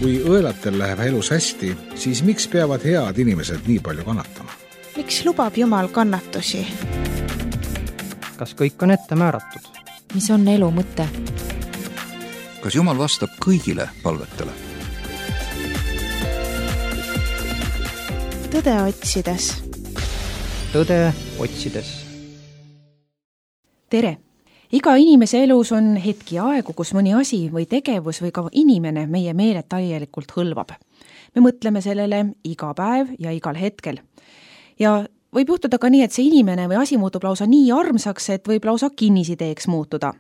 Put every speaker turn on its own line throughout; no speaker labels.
Kui õelatel läheb elus hästi, siis miks peavad head inimesed nii palju kannatama?
Miks lubab Jumal kannatusi?
Kas kõik on ette määratud?
Mis on elu mõte?
Kas Jumal vastab kõigile palvetele?
Tõde otsides.
Tõde otsides.
Tere! Iga inimese elus on hetki aegu, kus mõni asi või tegevus või ka inimene meie meeled täielikult hõlvab. Me mõtleme sellele iga päev ja igal hetkel. Ja võib juhtuda ka nii, et see inimene või asi muutub lausa nii armsaks, et võib lausa kinnisideeks muutuda.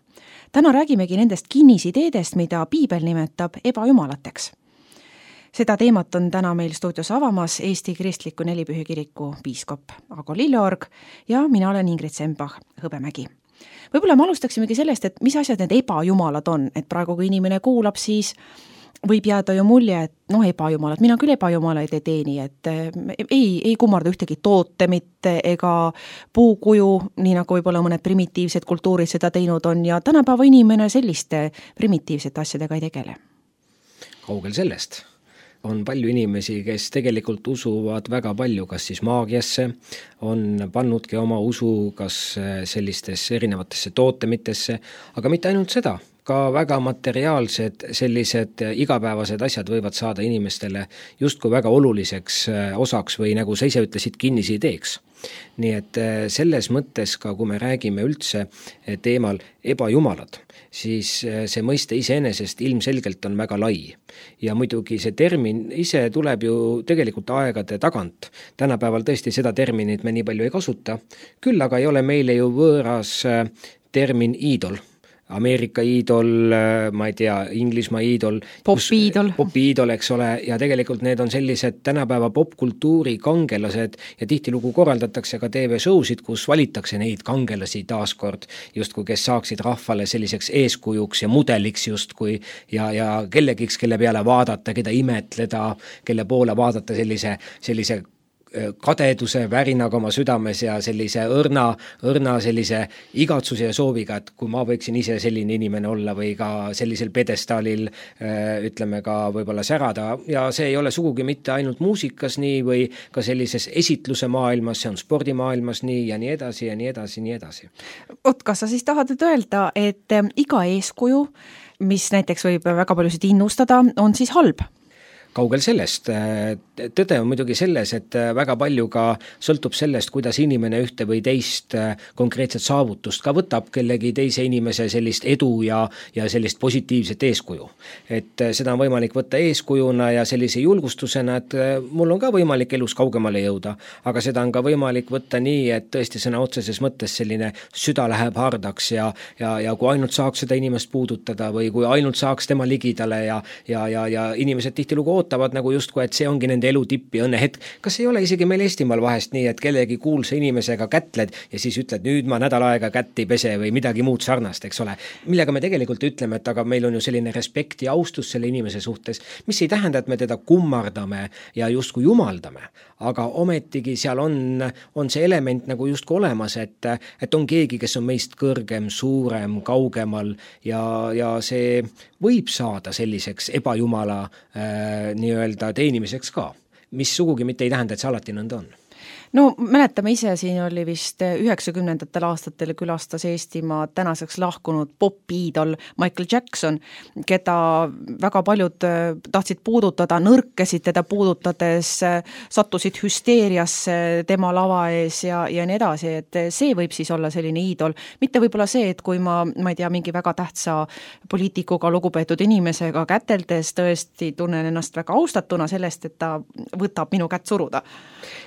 Täna räägimegi nendest kinnisideedest, mida Piibel nimetab ebajumalateks. Seda teemat on täna meil stuudios avamas Eesti Kristliku Nelipühi Kiriku piiskop Ago Lilleorg ja mina olen Ingrid Sembach Hõbemägi. Võib-olla me alustaksimegi sellest, et mis asjad need ebajumalad on, et praegu kui inimene kuulab, siis võib jääda ju mulje, et ebajumalad, mina küll ebajumalaid ei teeni, et ei kummarda ühtegi tootemit ega puukuju, nii nagu võib-olla mõned primitiivsed kultuurid seda teinud on ja tänapäeva inimene selliste primitiivsete asjadega ei tegele.
Kaugel sellest. On palju inimesi, kes tegelikult usuvad väga palju, kas siis maagiasse, on pannudki oma usu kas sellistesse erinevatesse tootemitesse, aga mitte ainult seda, ka väga materiaalsed sellised igapäevased asjad võivad saada inimestele justkui väga oluliseks osaks või nagu sa ise ütlesid, kinnisideeks. Nii et selles mõttes ka, kui me räägime üldse teemal ebajumalad, siis see mõiste iseenesest ilmselgelt on väga lai. Ja muidugi see termin ise tuleb ju tegelikult aegade tagant. Tänapäeval tõesti seda terminit me nii palju ei kasuta, küll aga ei ole meile ju võõras termin iidol. Ameerika iidol, ma ei tea, Inglismaa iidol, popiidol, eks ole, ja tegelikult need on sellised tänapäeva popkultuuri kangelased ja tihtilugu korraldatakse ka TV-showsid, kus valitakse neid kangelasi taaskord, justkui kes saaksid rahvale selliseks eeskujuks ja mudeliks justkui ja kellegiks, kelle peale vaadata, keda imetleda, kelle poole vaadata sellise kadeduse värinaga oma südames ja sellise õrna sellise igatsuse ja sooviga, et kui ma võiksin ise selline inimene olla või ka sellisel pedestaalil ütleme ka võib-olla särada ja see ei ole sugugi mitte ainult muusikas nii või ka sellises esitluse maailmas, see on spordimaailmas nii ja nii edasi ja nii edasi, nii edasi.
Kas sa siis tahad öelda, et iga eeskuju, mis näiteks võib väga paljusid innustada, on siis halb?
Kaugel sellest. Tõde on muidugi selles, et väga palju ka sõltub sellest, kuidas inimene ühte või teist konkreetset saavutust ka võtab kellegi teise inimese sellist edu ja sellist positiivset eeskuju. Et seda on võimalik võtta eeskujuna ja sellise julgustusena, et mul on ka võimalik elus kaugemale jõuda, aga seda on ka võimalik võtta nii, et tõesti sõna otseses mõttes selline süda läheb hardaks ja kui ainult saaks seda inimest puudutada või kui ainult saaks tema ligidale ja inimesed tihtilugu ootavad nagu justkui, et see ongi nende elu tipp ja õnnehetk. Kas ei ole isegi meil Eestimaal vahest nii, et kellegi kuulsa inimesega kätled ja siis ütled, nüüd ma nädal aega kätt ei pese või midagi muud sarnast, eks ole. Millega me tegelikult ütleme, et aga meil on ju selline respekt ja austus selle inimese suhtes, mis ei tähenda, et me teda kummardame ja justkui jumaldame, aga ometigi seal on see element nagu justkui olemas, et on keegi, kes on meist kõrgem, suurem, kaugemal ja see võib saada selliseks ebajumala nii-öelda teenimiseks ka, mis sugugi mitte ei tähenda, et see alati nõnda on.
No mäletame ise, siin oli vist 90ndatel aastatel külastas Eestimaa tänaseks lahkunud popiidol Michael Jackson, keda väga paljud tahtsid puudutada, nõrkesid teda puudutades, sattusid hüsteeriasse tema lava ees ja nii edasi, et see võib siis olla selline iidol. Mitte võib-olla see, et kui ma ei tea, mingi väga tähtsa poliitikuga lugupeetud inimesega käteldes tõesti tunnen ennast väga austatuna sellest, et ta võtab minu kätt suruda.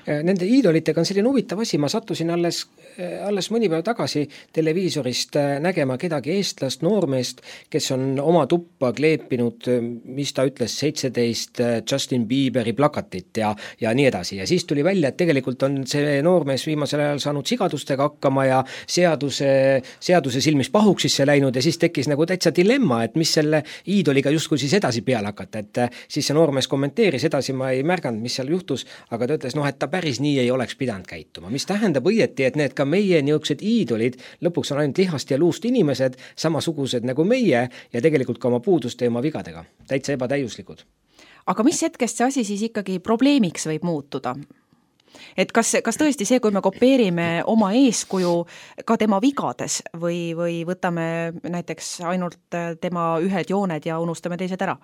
Nende iidolitega on selline huvitav asi, ma sattusin alles mõni päev tagasi televiisorist nägema kedagi eestlast, noormeest, kes on oma tuppa kleepinud, mis ta ütles, 17 Justin Bieberi plakatit ja nii edasi. Ja siis tuli välja, et tegelikult on see noormees viimasel ajal saanud sigadustega hakkama ja seaduse silmis pahuksisse läinud ja siis tekkis nagu täitsa dilemma, et mis selle iidoliga justkui siis edasi peale hakata, et siis see noormees kommenteeris edasi, ma ei märganud, mis seal juhtus, aga ta ütles, et ta päris nii ei oleks pidanud käituma, mis tähendab õieti, et need ka meie niisugused iidolid lõpuks on ainult lihast ja luust inimesed, samasugused nagu meie ja tegelikult ka oma puuduste ja oma vigadega, täitsa ebatäiuslikud.
aga mis hetkest see asi siis ikkagi probleemiks võib muutuda? Et kas tõesti see, kui me kopeerime oma eeskuju ka tema vigades või võtame näiteks ainult tema ühed jooned ja unustame teised ära?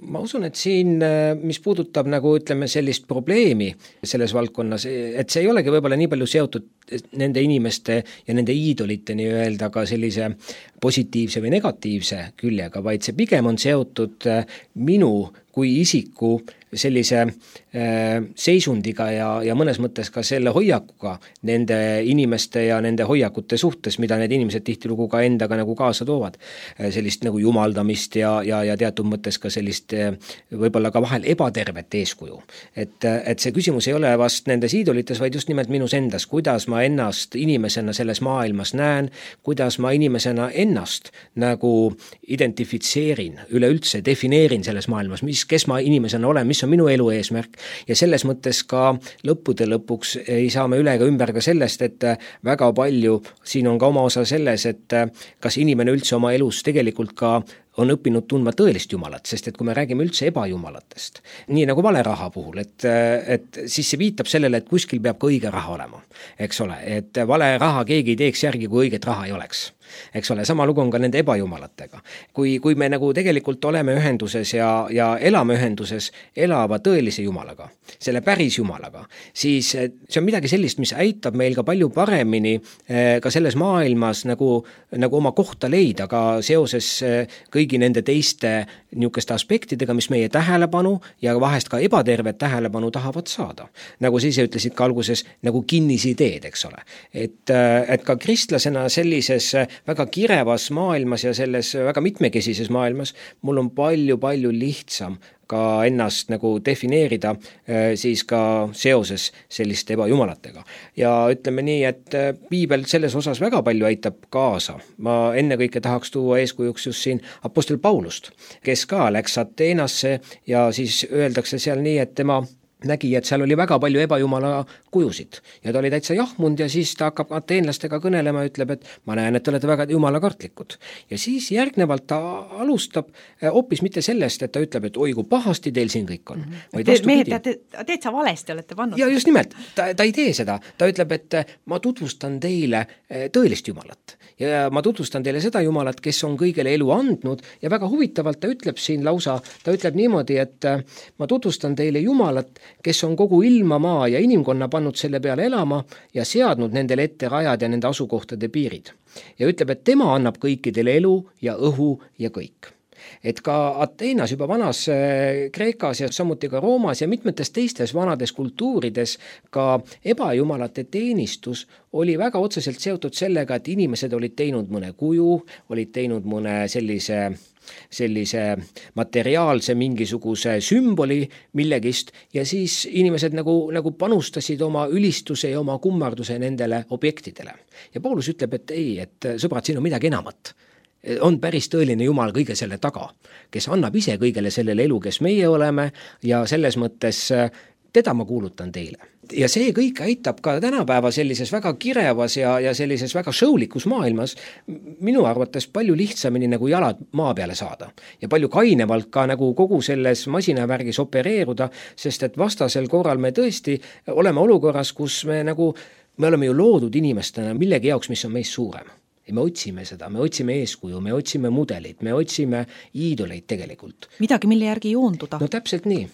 Ma usun, et siin, mis puudutab nagu ütleme sellist probleemi selles valdkonnas, et see ei olegi võib-olla nii palju seotud nende inimeste ja nende iidolite nii-öelda ka sellise positiivse või negatiivse küljega, vaid see pigem on seotud minu kui isiku sellise seisundiga ja mõnes mõttes ka selle hoiakuga nende inimeste ja nende hoiakute suhtes, mida need inimesed tihtilugu ka endaga nagu kaasa toovad. Sellist nagu jumaldamist ja teatud mõttes ka sellist võib-olla ka vahel ebatervet eeskuju. Et see küsimus ei ole vast nendes iidolites, vaid just nimelt minus endas, kuidas ma ennast inimesena selles maailmas näen, kuidas ma inimesena ennast nagu identifitseerin, üleüldse defineerin selles maailmas, kes ma inimesena olen, mis on minu elu eesmärk ja selles mõttes ka lõppude lõpuks ei saa me üle ega ümber ka sellest, et väga palju siin on ka oma osa selles, et kas inimene üldse oma elus tegelikult ka on õppinud tundma tõelist jumalat, sest et kui me räägime üldse ebajumalatest, nii nagu vale raha puhul, et siis see viitab sellele, et kuskil peab ka õige raha olema, eks ole, et vale raha keegi ei teeks järgi, kui õiget raha ei oleks. Eks ole, sama lugu on ka nende ebajumalatega. Kui me nagu tegelikult oleme ühenduses ja elame ühenduses elava tõelise jumalaga, selle päris jumalaga, siis see on midagi sellist, mis aitab meil ka palju paremini ka selles maailmas nagu oma kohta leida ka seoses kõigi nende teiste niisuguste aspektidega, mis meie tähelepanu ja vahest ka ebatervet tähelepanu tahavad saada. Nagu sa ise ütlesid ka alguses, nagu kinnisideed, eks ole. Et ka kristlasena sellises väga kirevas maailmas ja selles väga mitmekesises maailmas mul on palju lihtsam ka ennast nagu defineerida siis ka seoses selliste ebajumalatega. Ja ütleme nii, et piibel selles osas väga palju aitab kaasa. Ma ennekõike tahaks tuua eeskujuks just siin apostel Paulust, kes ka läks Ateenasse ja siis öeldakse seal nii, et tema nägi, et seal oli väga palju ebajumala kujusid ja ta oli täitsa jahmund ja siis ta hakkab ateenlastega kõnelema ja ütleb, et ma näen, et te olete väga jumalakartlikud. Ja siis järgnevalt ta alustab hoopis mitte sellest, et ta ütleb, et oi, kui pahasti teil siin kõik on.
Mehed, teed sa valesti olete pannud.
Ja just nimelt, ta ei tee seda. Ta ütleb, et ma tutvustan teile tõelist jumalat ja ma tutvustan teile seda jumalat, kes on kõigele elu andnud ja väga huvitavalt ta ütleb siin lausa, ta ütleb niimoodi, et ma tutvustan teile jumalat, kes on kogu ilma, maa ja inimkonna pannud selle peale elama ja seadnud nendele ette rajad ja nende asukohtade piirid. Ja ütleb, et tema annab kõikidele elu ja õhu ja kõik. Et ka Ateenas juba vanas Kreekas ja samuti ka Roomas ja mitmetes teistes vanades kultuurides ka ebajumalate teenistus oli väga otseselt seotud sellega, et inimesed olid teinud mõne kuju, olid teinud mõne sellise materiaalse mingisuguse sümboli millegist ja siis inimesed nagu panustasid oma ülistuse ja oma kummarduse nendele objektidele. Ja Paulus ütleb, et ei, et sõbrad, siin on midagi enamat. On päris tõeline Jumal kõige selle taga, kes annab ise kõigele sellele elu, kes meie oleme ja selles mõttes teda ma kuulutan teile. Ja see kõik aitab ka tänapäeva sellises väga kirevas ja sellises väga showlikus maailmas minu arvates palju lihtsamini nagu jalad maa peale saada ja palju kainevalt ka nagu kogu selles masinavärgis opereeruda, sest et vastasel korral me tõesti oleme olukorras, kus me oleme ju loodud inimestena millegi jaoks, mis on meist suurem. Ja me otsime seda, me otsime eeskuju, me otsime mudelit, me otsime iidoleid tegelikult.
Midagi, mille järgi joonduda.
No täpselt nii.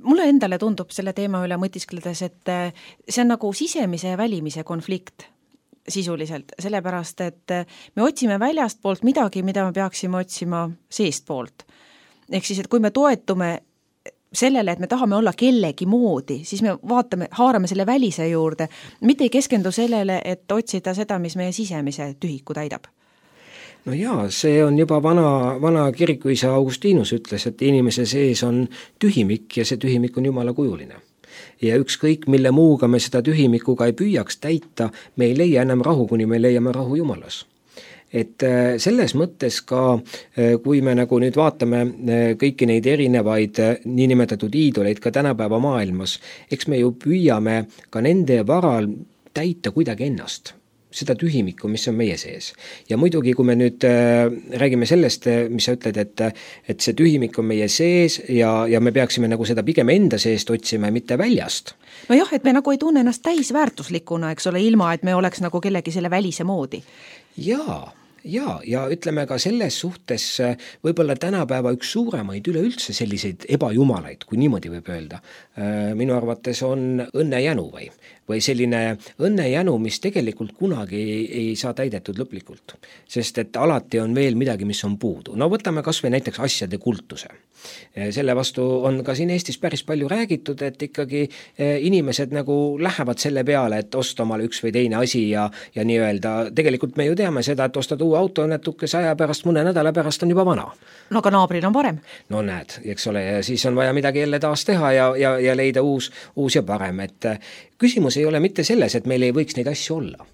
Mulle endale tundub selle teema üle mõtiskledes, et see on nagu sisemise ja välimise konflikt sisuliselt, sellepärast, et me otsime väljast poolt midagi, mida me peaksime otsima seest poolt. Ehk siis, et kui me toetume sellele, et me tahame olla kellegi moodi, siis me haarame selle välise juurde, mitte ei keskendu sellele, et otsida seda, mis meie sisemise tühiku täidab.
No jaa, see on juba vana kirikuisa Augustinus ütles, et inimese sees on tühimik ja see tühimik on jumala kujuline. Ja ükskõik, mille muuga me seda tühimikuga ei püüaks täita, me ei leia enam rahu, kuni me leiame rahu Jumalas. Et selles mõttes ka, kui me nagu nüüd vaatame kõiki neid erinevaid niinimetatud iidoleid ka tänapäeva maailmas, eks me ju püüame ka nende varal täita kuidagi ennast. seda tühimikku, mis on meie sees. Ja muidugi, kui me nüüd räägime sellest, mis sa ütled, et see tühimik on meie sees ja me peaksime nagu seda pigem enda seest otsima, mitte väljast.
No jah, et me nagu ei tunne ennast täisväärtuslikuna, eks ole, ilma, et me oleks nagu kellegi selle välise moodi. Ja ütleme ka selles suhtes võib-olla tänapäeva üks suuremaid üleüldse selliseid ebajumalaid, kui niimoodi võib öelda. Minu arvates on õnnejänu või selline õnnejänu, mis tegelikult kunagi ei saa täidetud lõplikult. Sest et alati on veel midagi, mis on puudu. No võtame kas või näiteks asjade kultuse. Selle vastu on ka siin Eestis päris palju räägitud, et ikkagi inimesed nagu lähevad selle peale, et osta omale üks või teine asi ja nii-öelda, tegelikult me ju teame seda, et ostad uue auto natukese aja pärast, mõne nädala pärast on juba vana. No aga naabril on parem.
No näed, eks ole, ja siis on vaja midagi jälle taas teha ja leida uus ja parem, et küsimus ei ole mitte selles, et meil ei võiks neid asju olla.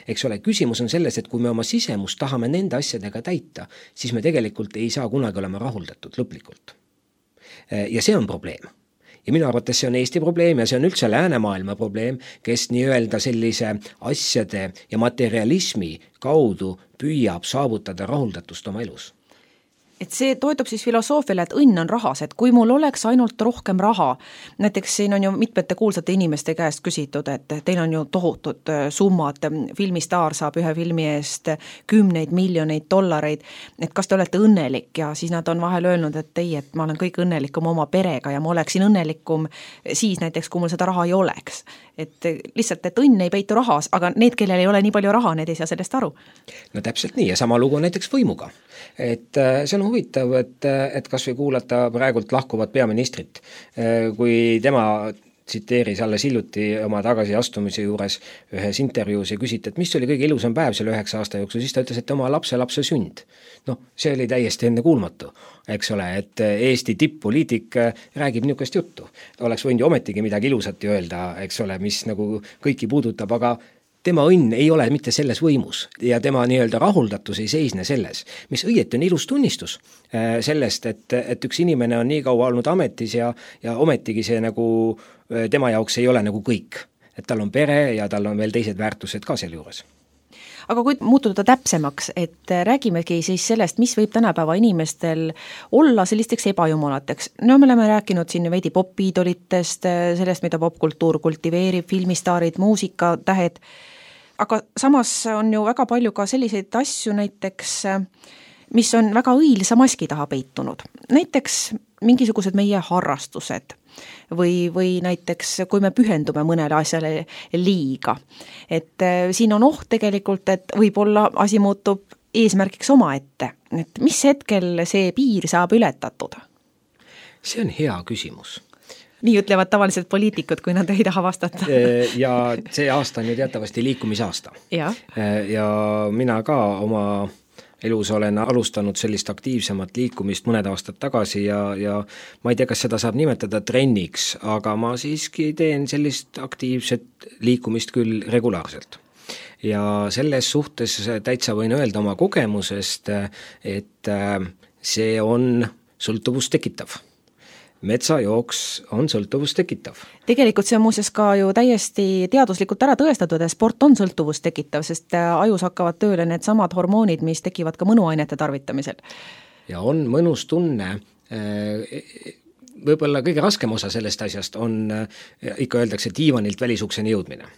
Eks ole, küsimus on selles, et kui me oma sisemust tahame nende asjadega täita, siis me tegelikult ei saa kunagi olema rahuldatud lõplikult. Ja see on probleem. Ja minu arvates see on Eesti probleem ja see on üldse läänemaailma probleem, kes nii-öelda sellise asjade ja materialismi kaudu püüab saavutada rahuldatust oma elus.
Et see toetub siis filosoofiale, et õnn on rahas, et kui mul oleks ainult rohkem raha, näiteks siin on ju mitmete kuulsate inimeste käest küsitud, et teil on ju tohutud summad, filmistaar saab ühe filmi eest 10 miljoneid dollareid, et kas te olete õnnelik ja siis nad on vahel öelnud, et ei, et ma olen kõik õnnelikum oma perega ja ma oleksin õnnelikum siis näiteks, kui mul seda raha ei oleks. Et lihtsalt, et õnn ei peitu rahas, aga need, kellel ei ole nii palju raha, need ei saa sellest aru.
No täpselt nii ja sama lugu näiteks võimuga. Et see on huvitav, et kas või kuulata praegult lahkuvat peaministrit, kui tema tsiteeris alles hiljuti oma tagasiastumise juures ühes intervjuus ja küsiti, et mis oli kõige ilusam päev selle 9 aasta jooksul, siis ta ütles, et oma lapse sünd. No, see oli täiesti ennekuulmatu, eks ole, et Eesti tipp-poliitik räägib niisugust juttu. Oleks võinud ju ometigi midagi ilusat öelda, eks ole, mis nagu kõiki puudutab, aga tema õnn ei ole mitte selles võimus ja tema nii-öelda rahuldatus ei seisne selles, mis õieti on ilus tunnistus sellest, et üks inimene on nii kaua olnud ametis ja ometigi see nagu tema jaoks ei ole nagu kõik. Et tal on pere ja tal on veel teised väärtused ka seal juures.
Aga kui muutuda täpsemaks, et räägimegi siis sellest, mis võib tänapäeva inimestel olla sellisteks ebajumalateks. No me oleme rääkinud siin veidi popiidolitest, sellest, mida popkultuur kultiveerib, filmistaarid, muusikatähed, aga samas on ju väga palju ka selliseid asju näiteks, mis on väga õilsa maski taha peitunud. Näiteks mingisugused meie harrastused või näiteks, kui me pühendume mõnele asjale liiga. Et siin on oht tegelikult, et võib-olla asi muutub eesmärgiks omaette. Et mis hetkel see piir saab ületatud?
See on hea küsimus.
Nii ütlevad tavaliselt poliitikud, kui nad ei taha vastata.
Ja see aasta on ju teatavasti liikumisaasta.
Ja
mina ka oma elus olen alustanud sellist aktiivsemat liikumist mõned aastad tagasi ja ma ei tea, kas seda saab nimetada trenniks, aga ma siiski teen sellist aktiivset liikumist küll regulaarselt. Ja selles suhtes täitsa võin öelda oma kogemusest, et see on sõltuvust tekitav. Metsajooks on sõltuvust tekitav.
Tegelikult see on muuseas ka ju täiesti teaduslikult ära tõestatud, et sport on sõltuvust tekitav, sest ajus hakkavad tööle need samad hormoonid, mis tekivad ka mõnuainete tarvitamisel.
Ja on mõnus tunne, võib-olla kõige raskem osa sellest asjast on, ikka öeldakse, diivanilt välisukseni jõudmine.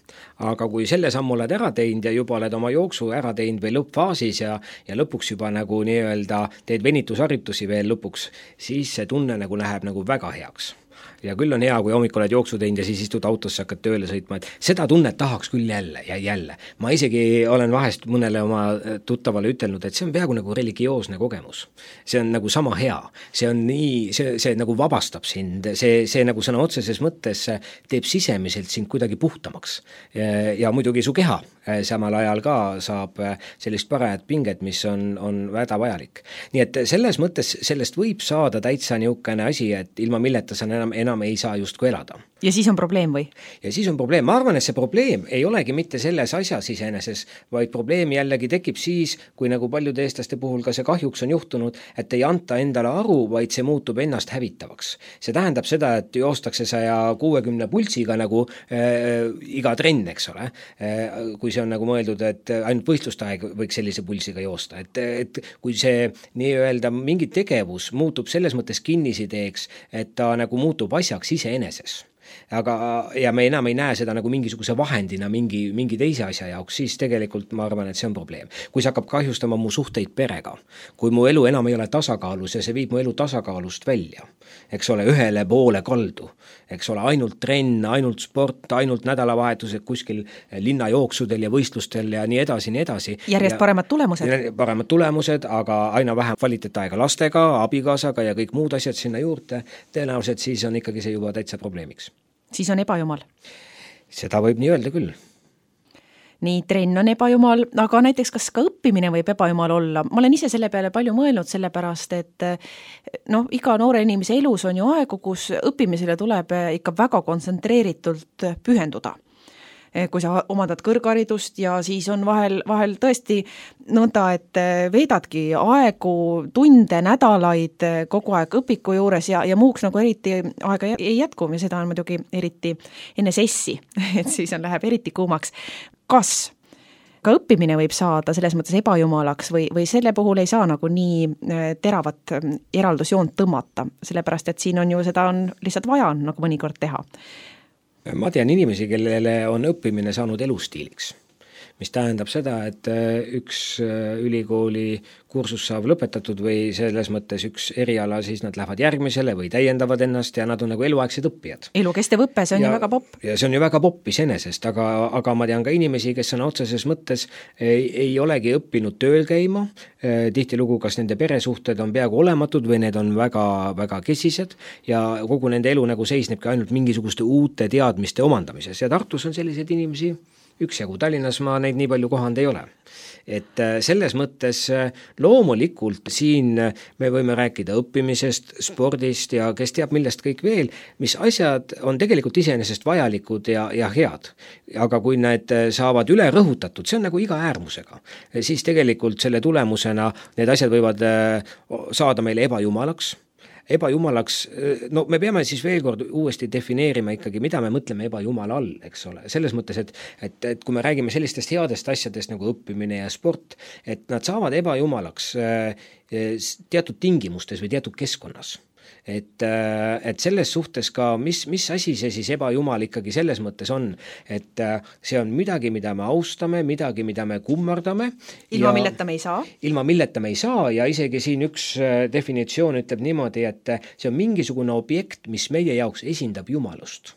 Aga kui selle sammu oled ära teinud ja juba oled oma jooksu ära teinud või lõppfaasis ja lõpuks juba nagu nii-öelda teed venitusharjutusi veel lõpuks, siis see tunne nagu läheb nagu väga heaks. Ja küll on hea, kui hommikul oled jooksu teinud ja siis istud autosse, hakkad tööle sõitma, et seda tunnet tahaks küll jälle ja jälle. Ma isegi olen vahest mõnele oma tuttavale ütelnud, et see on peaaegu nagu religioosne kogemus. See on nagu sama hea. See on nii, see nagu vabastab sind, see nagu sõna otseses mõttes teeb sisemiselt sind kuidagi puhtamaks. Ja muidugi su keha samal ajal ka saab sellist parajat pinget, mis on väga vajalik. Nii et selles mõttes sellest võib saada täitsa niisugune asi, et ilma milleta sa enam enam ei saa justkui elada.
Ja siis on probleem või?
Ja siis on probleem. Ma arvan, et see probleem ei olegi mitte selles asjas iseeneses, vaid probleem jällegi tekib siis, kui nagu paljude eestlaste puhul ka see kahjuks on juhtunud, et ei anta endale aru, vaid see muutub ennast hävitavaks. See tähendab seda, et joostakse 160 pulsiga nagu iga trenn, eks ole. Kui see on nagu mõeldud, et ainult võistlustaeg võiks sellise pulsiga joosta. Et kui see nii-öelda mingi tegevus muutub selles mõttes kinnisideeks, et ta nagu muutub asjaks iseeneses. Ja me enam ei näe seda nagu mingisuguse vahendina mingi teise asja jaoks, siis tegelikult ma arvan, et see on probleem. Kui see hakkab kahjustama mu suhteid perega, kui mu elu enam ei ole tasakaalus ja see viib mu elu tasakaalust välja, eks ole, ühele poole kaldu, eks ole, ainult trenn, ainult sport, ainult nädalavahetused kuskil linnajooksudel ja võistlustel ja nii edasi.
Järjest paremad tulemused.
Paremad tulemused, aga aina vähem kvaliteetaega lastega, abikaasaga ja kõik muud asjad sinna juurde, tõenäoliselt siis on ikkagi see juba täitsa probleemiks.
Siis on ebajumal.
Seda võib nii öelda küll.
Nii, trenn on ebajumal, aga näiteks kas ka õppimine võib ebajumal olla? Ma olen ise selle peale palju mõelnud, sellepärast, et iga noore inimese elus on ju aegu, kus õppimisele tuleb ikka väga kontsentreeritult pühenduda. Kui sa omandad kõrgharidust ja siis on vahel tõesti nõnda, et veedadki aegu, tunde, nädalaid kogu aeg õpiku juures ja muuks nagu eriti aega ei jätku ja seda on muidugi eriti enne sessi, et siis läheb eriti kuumaks. Kas ka õppimine võib saada selles mõttes ebajumalaks või selle puhul ei saa nagu nii teravat eraldusjoont tõmmata, sellepärast et siin on ju seda on lihtsalt vaja nagu mõnikord teha.
Ma tean inimesi, kellele on õppimine saanud elustiiliks, mis tähendab seda, et üks ülikooli kursus saab lõpetatud või selles mõttes üks eriala, siis nad lähevad järgmisele või täiendavad ennast ja nad on nagu eluaegsed õppijad.
Elukestev õppe, see on ju väga popp.
Ja see on ju väga popp iseenesest, aga ma tean ka inimesi, kes on otseses mõttes ei olegi õppinud tööl käima, tihtilugu kas nende peresuhted on peaaegu olematud või need on väga, väga kesised ja kogu nende elu nagu seisnebki ainult mingisuguste uute teadmiste omandamises ja Tartus on selliseid inimesi üksjagu, Tallinnas ma neid nii palju kohanud ei ole. Et selles mõttes loomulikult siin me võime rääkida õppimisest, spordist ja kes teab millest kõik veel, mis asjad on tegelikult iseenesest vajalikud ja head. Aga kui need saavad üle rõhutatud, see on nagu iga äärmusega, siis tegelikult selle tulemusena need asjad võivad saada meile ebajumalaks, no me peame siis veel kord uuesti defineerima ikkagi, mida me mõtleme ebajumala all, eks ole. Selles mõttes, et kui me räägime sellistest headest asjadest nagu õppimine ja sport, et nad saavad ebajumalaks teatud tingimustes või teatud keskkonnas. Et selles suhtes ka, mis asi see siis ebajumal ikkagi selles mõttes on, et see on midagi, mida me austame, midagi, mida me kummardame.
Ilma milleta me ei saa.
Ilma milleta me ei saa ja isegi siin üks definitsioon ütleb niimoodi, et see on mingisugune objekt, mis meie jaoks esindab jumalust,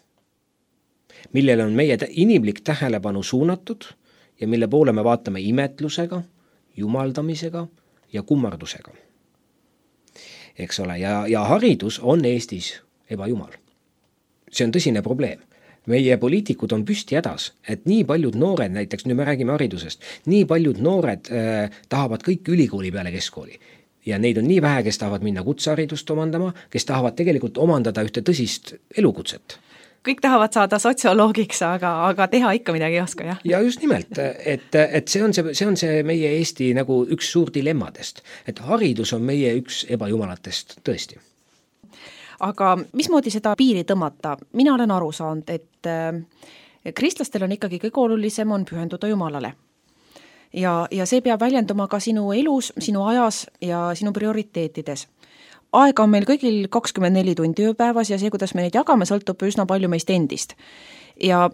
millele on meie inimlik tähelepanu suunatud ja mille poole me vaatame imetlusega, jumaldamisega ja kummardusega. Eks ole, ja haridus on Eestis ebajumal. See on tõsine probleem. Meie poliitikud on püsti hädas, et nii paljud noored, näiteks nüüd me räägime haridusest, nii paljud noored tahavad kõik ülikooli peale keskkooli. Ja neid on nii vähe, kes tahavad minna kutseharidust omandama, kes tahavad tegelikult omandada ühte tõsist elukutset.
Kõik tahavad saada sotsioloogiks, aga teha ikka midagi ei oska, jah?
Ja just nimelt, et see on see meie Eesti nagu üks suur dilemmadest, et haridus on meie üks ebajumalatest tõesti.
Aga mismoodi seda piiri tõmmata? Mina olen aru saanud, et kristlastel on ikkagi kõige olulisem on pühenduda Jumalale. Ja see peab väljenduma ka sinu elus, sinu ajas ja sinu prioriteetides. Aega on meil kõigil 24 tundi ööpäevas ja see, kuidas me neid jagame, sõltub üsna palju meist endist. Ja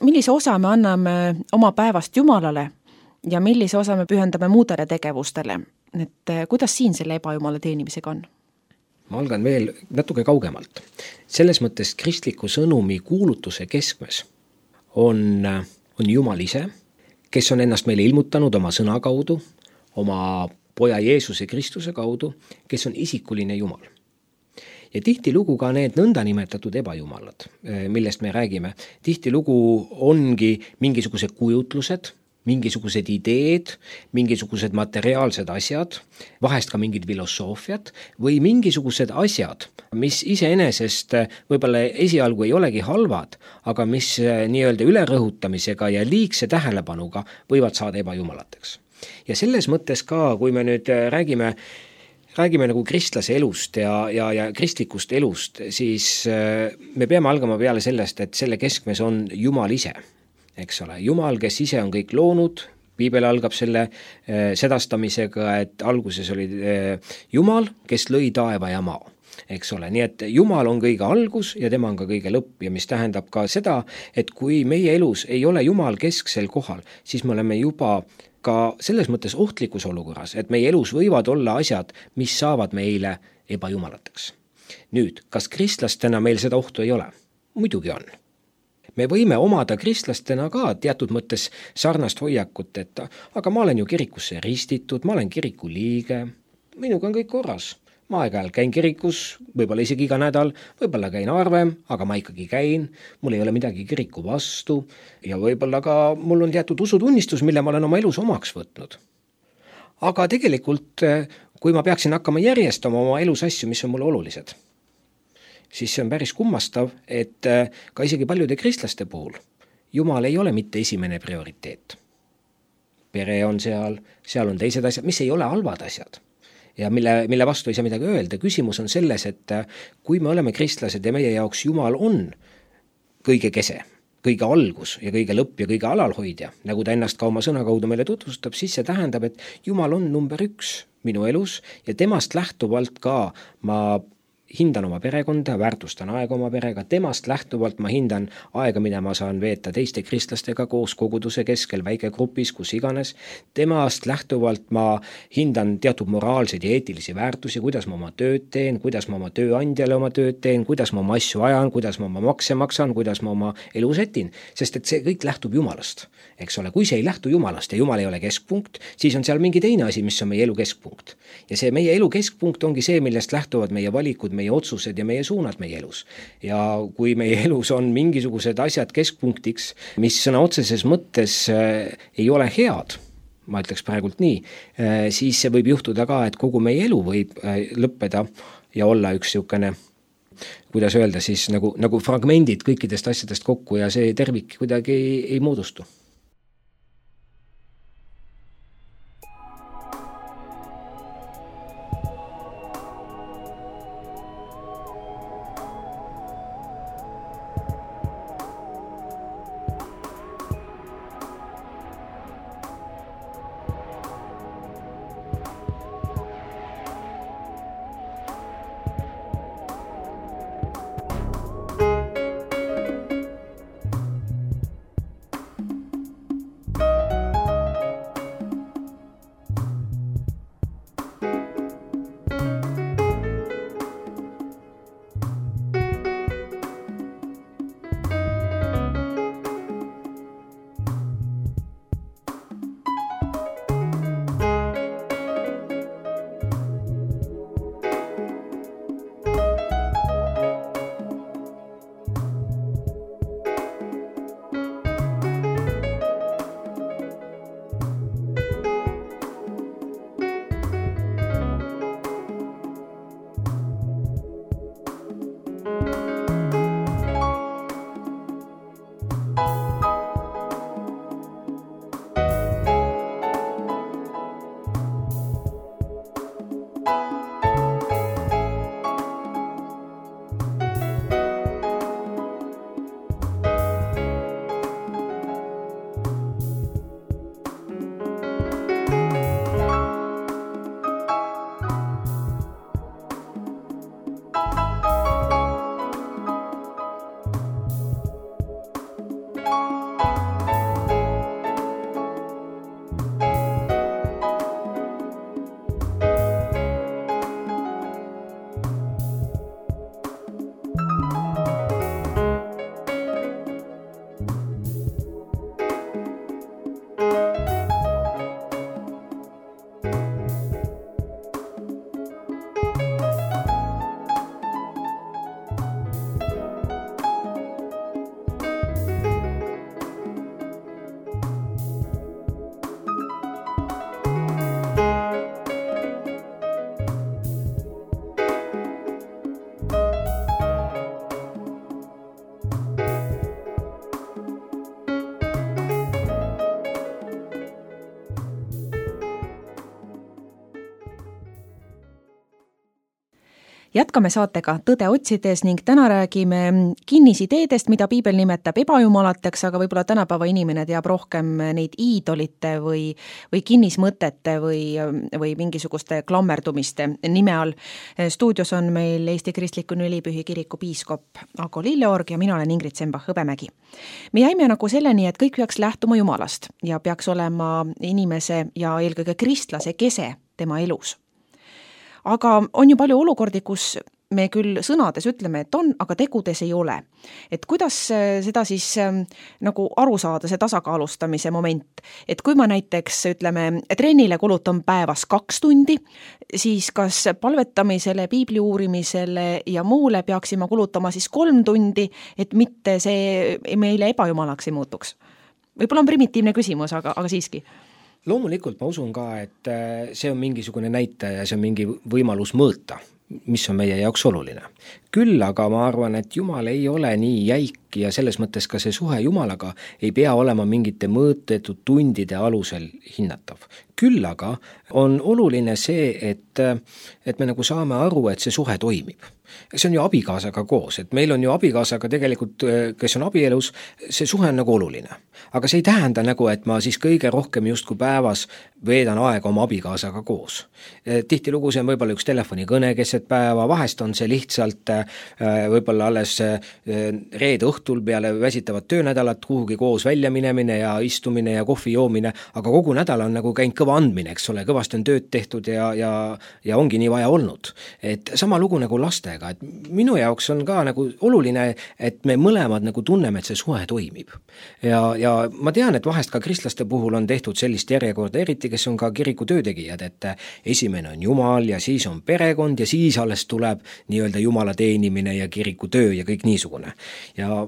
millise osa me anname oma päevast Jumalale ja millise osa me pühendame muudele tegevustele? Et kuidas siin selle ebajumala teenimisega on?
Ma algan veel natuke kaugemalt. Selles mõttes kristliku sõnumi kuulutuse keskmes on Jumal ise, kes on ennast meile ilmutanud oma sõna kaudu, oma poja Jeesuse Kristuse kaudu, kes on isikuline Jumal. Ja tihtilugu ka need nõnda nimetatud ebajumalad, millest me räägime, tihtilugu ongi mingisugused kujutlused, mingisugused ideed, mingisugused materiaalsed asjad, vahest ka mingid filosoofiad või mingisugused asjad, mis iseenesest võib-olla esialgu ei olegi halvad, aga mis nii-öelda ülerõhutamisega ja liigse tähelepanuga võivad saada ebajumalateks. Ja selles mõttes ka, kui me nüüd räägime nagu kristlase elust ja kristlikust elust, siis me peame algama peale sellest, et selle keskmes on Jumal ise. Eks ole, Jumal, kes ise on kõik loonud, Piibel algab selle sedastamisega, et alguses oli Jumal, kes lõi taeva ja maa. Eks ole, nii et Jumal on kõige algus ja tema on ka kõige lõpp ja mis tähendab ka seda, et kui meie elus ei ole Jumal kesksel kohal, siis me oleme juba ka selles mõttes ohtlikus olukorras, et meie elus võivad olla asjad, mis saavad meile ebajumalateks. Nüüd, kas kristlastena meil seda ohtu ei ole? Muidugi on. Me võime omada kristlastena ka teatud mõttes sarnast hoiakut, et aga ma olen ju kirikusse ristitud, ma olen kiriku liige, minuga on kõik korras. Ma aeg-ajal käin kirikus, võib-olla isegi iga nädal, võib-olla käin harvem, aga ma ikkagi käin, mul ei ole midagi kiriku vastu ja võib-olla ka mul on teatud usutunnistus, mille ma olen oma elus omaks võtnud. Aga tegelikult, kui ma peaksin hakkama järjestama oma elus asju, mis on mulle olulised, siis see on päris kummastav, et ka isegi paljude kristlaste puhul Jumal ei ole mitte esimene prioriteet. Pere on seal on teised asjad, mis ei ole halvad asjad ja mille vastu ei saa midagi öelda. Küsimus on selles, et kui me oleme kristlased ja meie jaoks Jumal on kõige kese, kõige algus ja kõige lõpp ja kõige alalhoidja, nagu ta ennast ka oma sõna kaudu meile tutvustab, siis see tähendab, et Jumal on number 1 minu elus ja temast lähtuvalt ka ma hindan oma perekonda, väärtustan aega oma perega, temast lähtuvalt ma hindan aega, mida ma saan veeta teiste kristlastega koos koguduse keskel, väikegrupis, kus iganes. Temast lähtuvalt ma hindan teatud moraalseid ja eetilisi väärtusi, kuidas ma oma tööd teen, kuidas ma oma tööandjale oma tööd teen, kuidas ma oma asju ajan, kuidas ma oma makse maksan, kuidas ma oma elu setin, sest et see kõik lähtub Jumalast. Eks ole, kui see ei lähtu Jumalast ja Jumal ei ole keskpunkt, siis on seal mingi teine asi, mis on meie elu keskpunkt. Ja see meie elu keskpunkt ongi see, millest lähtuvad meie valikud, meie otsused ja meie suunad meie elus. Ja kui meie elus on mingisugused asjad keskpunktiks, mis sõna otseses mõttes ei ole head, ma ütleks praegult nii, siis see võib juhtuda ka, et kogu meie elu võib lõppeda ja olla üks niisugune, kuidas öelda siis, nagu fragmendid kõikidest asjadest kokku ja see tervik kuidagi ei moodustu.
Jätkame saatega Tõde otsides ning täna räägime kinnisideedest, mida piibel nimetab ebajumalateks, aga võib-olla tänapäeva inimene teab rohkem neid iidolite või kinnismõtete või mingisuguste klammerdumiste nime all. Stuudios on meil Eesti Kristliku Nülipühi kiriku piiskop Ago Lilleorg ja mina olen Ingrid Sembach-Hõbemägi. Me jäime nagu selleni, et kõik peaks lähtuma Jumalast ja peaks olema inimese ja eelkõige kristlase kese tema elus. Aga on ju palju olukordi, kus me küll sõnades ütleme, et on, aga tegudes ei ole. Et kuidas seda siis nagu aru saada, see tasakaalustamise moment? Et kui ma näiteks ütleme, trennile kulutan päevas 2 tundi, siis kas palvetamisele, piibli uurimisele ja muule peaksime kulutama siis 3 tundi, et mitte see meile ebajumalaks ei muutuks? Võib-olla on primitiivne küsimus, aga siiski.
Loomulikult ma usun ka, et see on mingisugune näitaja ja see on mingi võimalus mõõta, mis on meie jaoks oluline. Küll aga ma arvan, et Jumal ei ole nii jäik ja selles mõttes ka see suhe Jumalaga ei pea olema mingite mõõtetud tundide alusel hinnatav. Küll aga on oluline see, et me nagu saame aru, et see suhe toimib. See on ju abikaasaga koos, et meil on ju abikaasaga tegelikult, kes on abielus, see suhe on nagu oluline. Aga see ei tähenda nagu, et ma siis kõige rohkem justkui päevas veedan aega oma abikaasaga koos. Tihtilugu see on võib-olla üks telefonikõne keset päeva, vahest on see lihtsalt võib-olla alles reede õhtul peale väsitavat töönädalat kuhugi koos välja minemine ja istumine ja kohvi joomine, aga kogu nädal on nagu käinud kõva andmine, eks ole, kõvasti on tööd tehtud ja ongi nii vaja olnud. Et sama lugu nagu lastega, et minu jaoks on ka nagu oluline, et me mõlemad nagu tunneme, et see suhe toimib. Ja ma tean, et vahest ka kristlaste puhul on tehtud sellist järjekorda, eriti kes on ka kiriku töötegijad, et esimene on Jumal ja siis on perekond ja siis alles tuleb nii-öelda Jumala teenimine ja kiriku töö ja kõik niisugune. Ja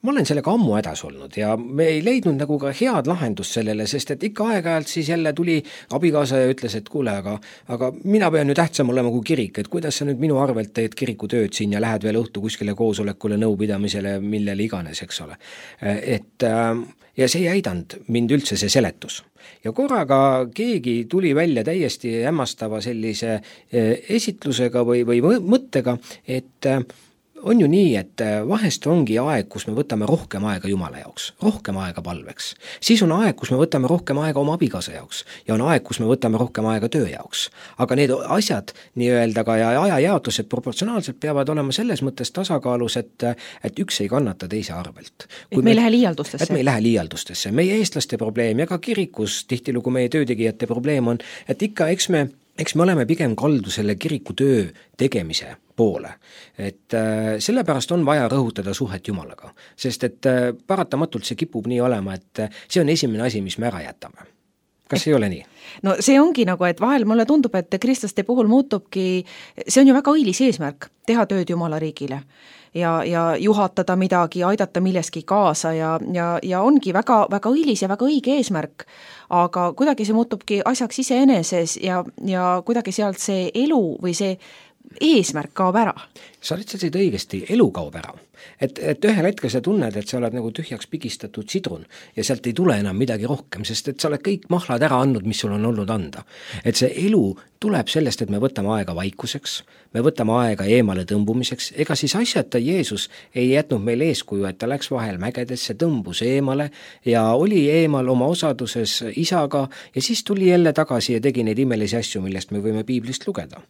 ma olen sellega ammu hädas olnud ja me ei leidnud nagu ka head lahendust sellele, sest et ikka aeg-ajalt siis jälle tuli abikaasa ja ütles, et kuule, aga mina pean ju tähtsam olema kui kirik, et kuidas sa nüüd minu arvelt teed kiriku tööd siin ja lähed veel õhtu kuskile koosolekule, nõupidamisele, millele iganes, eks ole. Ja see ei aidanud mind üldse see seletus. Ja korraga keegi tuli välja täiesti hämmastava sellise esitlusega või mõttega, et on ju nii, et vahest ongi aeg, kus me võtame rohkem aega Jumala jaoks, rohkem aega palveks. Siis on aeg, kus me võtame rohkem aega oma abikaasa jaoks ja on aeg, kus me võtame rohkem aega töö jaoks. Aga need asjad nii-öelda ka ja ajajaotused proportsionaalselt peavad olema selles mõttes tasakaalus, et üks ei kannata teise arvelt.
Et me ei lähe liialdustesse.
Et me ei lähe liialdustesse. Meie eestlaste probleem ja ka kirikus tihtilugu meie töötegijate probleem on, et ikka eks me oleme pigem kaldu selle kiriku töö tegemise poole. Et sellepärast on vaja rõhutada suhet Jumalaga, sest et paratamatult see kipub nii olema, et see on esimene asi, mis me ära jätame. Kas ei ole nii?
No see ongi nagu, et vahel mulle tundub, et kristlaste puhul muutubki, see on ju väga õilis eesmärk, teha tööd Jumala riigile ja juhatada midagi, aidata milleski kaasa ja ongi väga, väga õilis ja väga õige eesmärk, aga kuidagi see muutubki asjaks iseeneses ja kuidagi sealt see elu või see eesmärk kaob ära.
Sa ütlesid õigesti, elu kaob ära. Et ühel hetkel sa tunned, et sa oled nagu tühjaks pigistatud sidrun ja sealt ei tule enam midagi rohkem, sest et sa oled kõik mahlad ära andnud, mis sul on olnud anda. Et see elu tuleb sellest, et me võtame aega vaikuseks, me võtame aega eemale tõmbumiseks, ega siis asjata Jeesus ei jätnud meil eeskuju, et ta läks vahel mägedesse, tõmbus eemale ja oli eemal oma osaduses isaga ja siis tuli jälle tagasi ja tegi neid imelisi asju, millest me võime piiblist lugeda.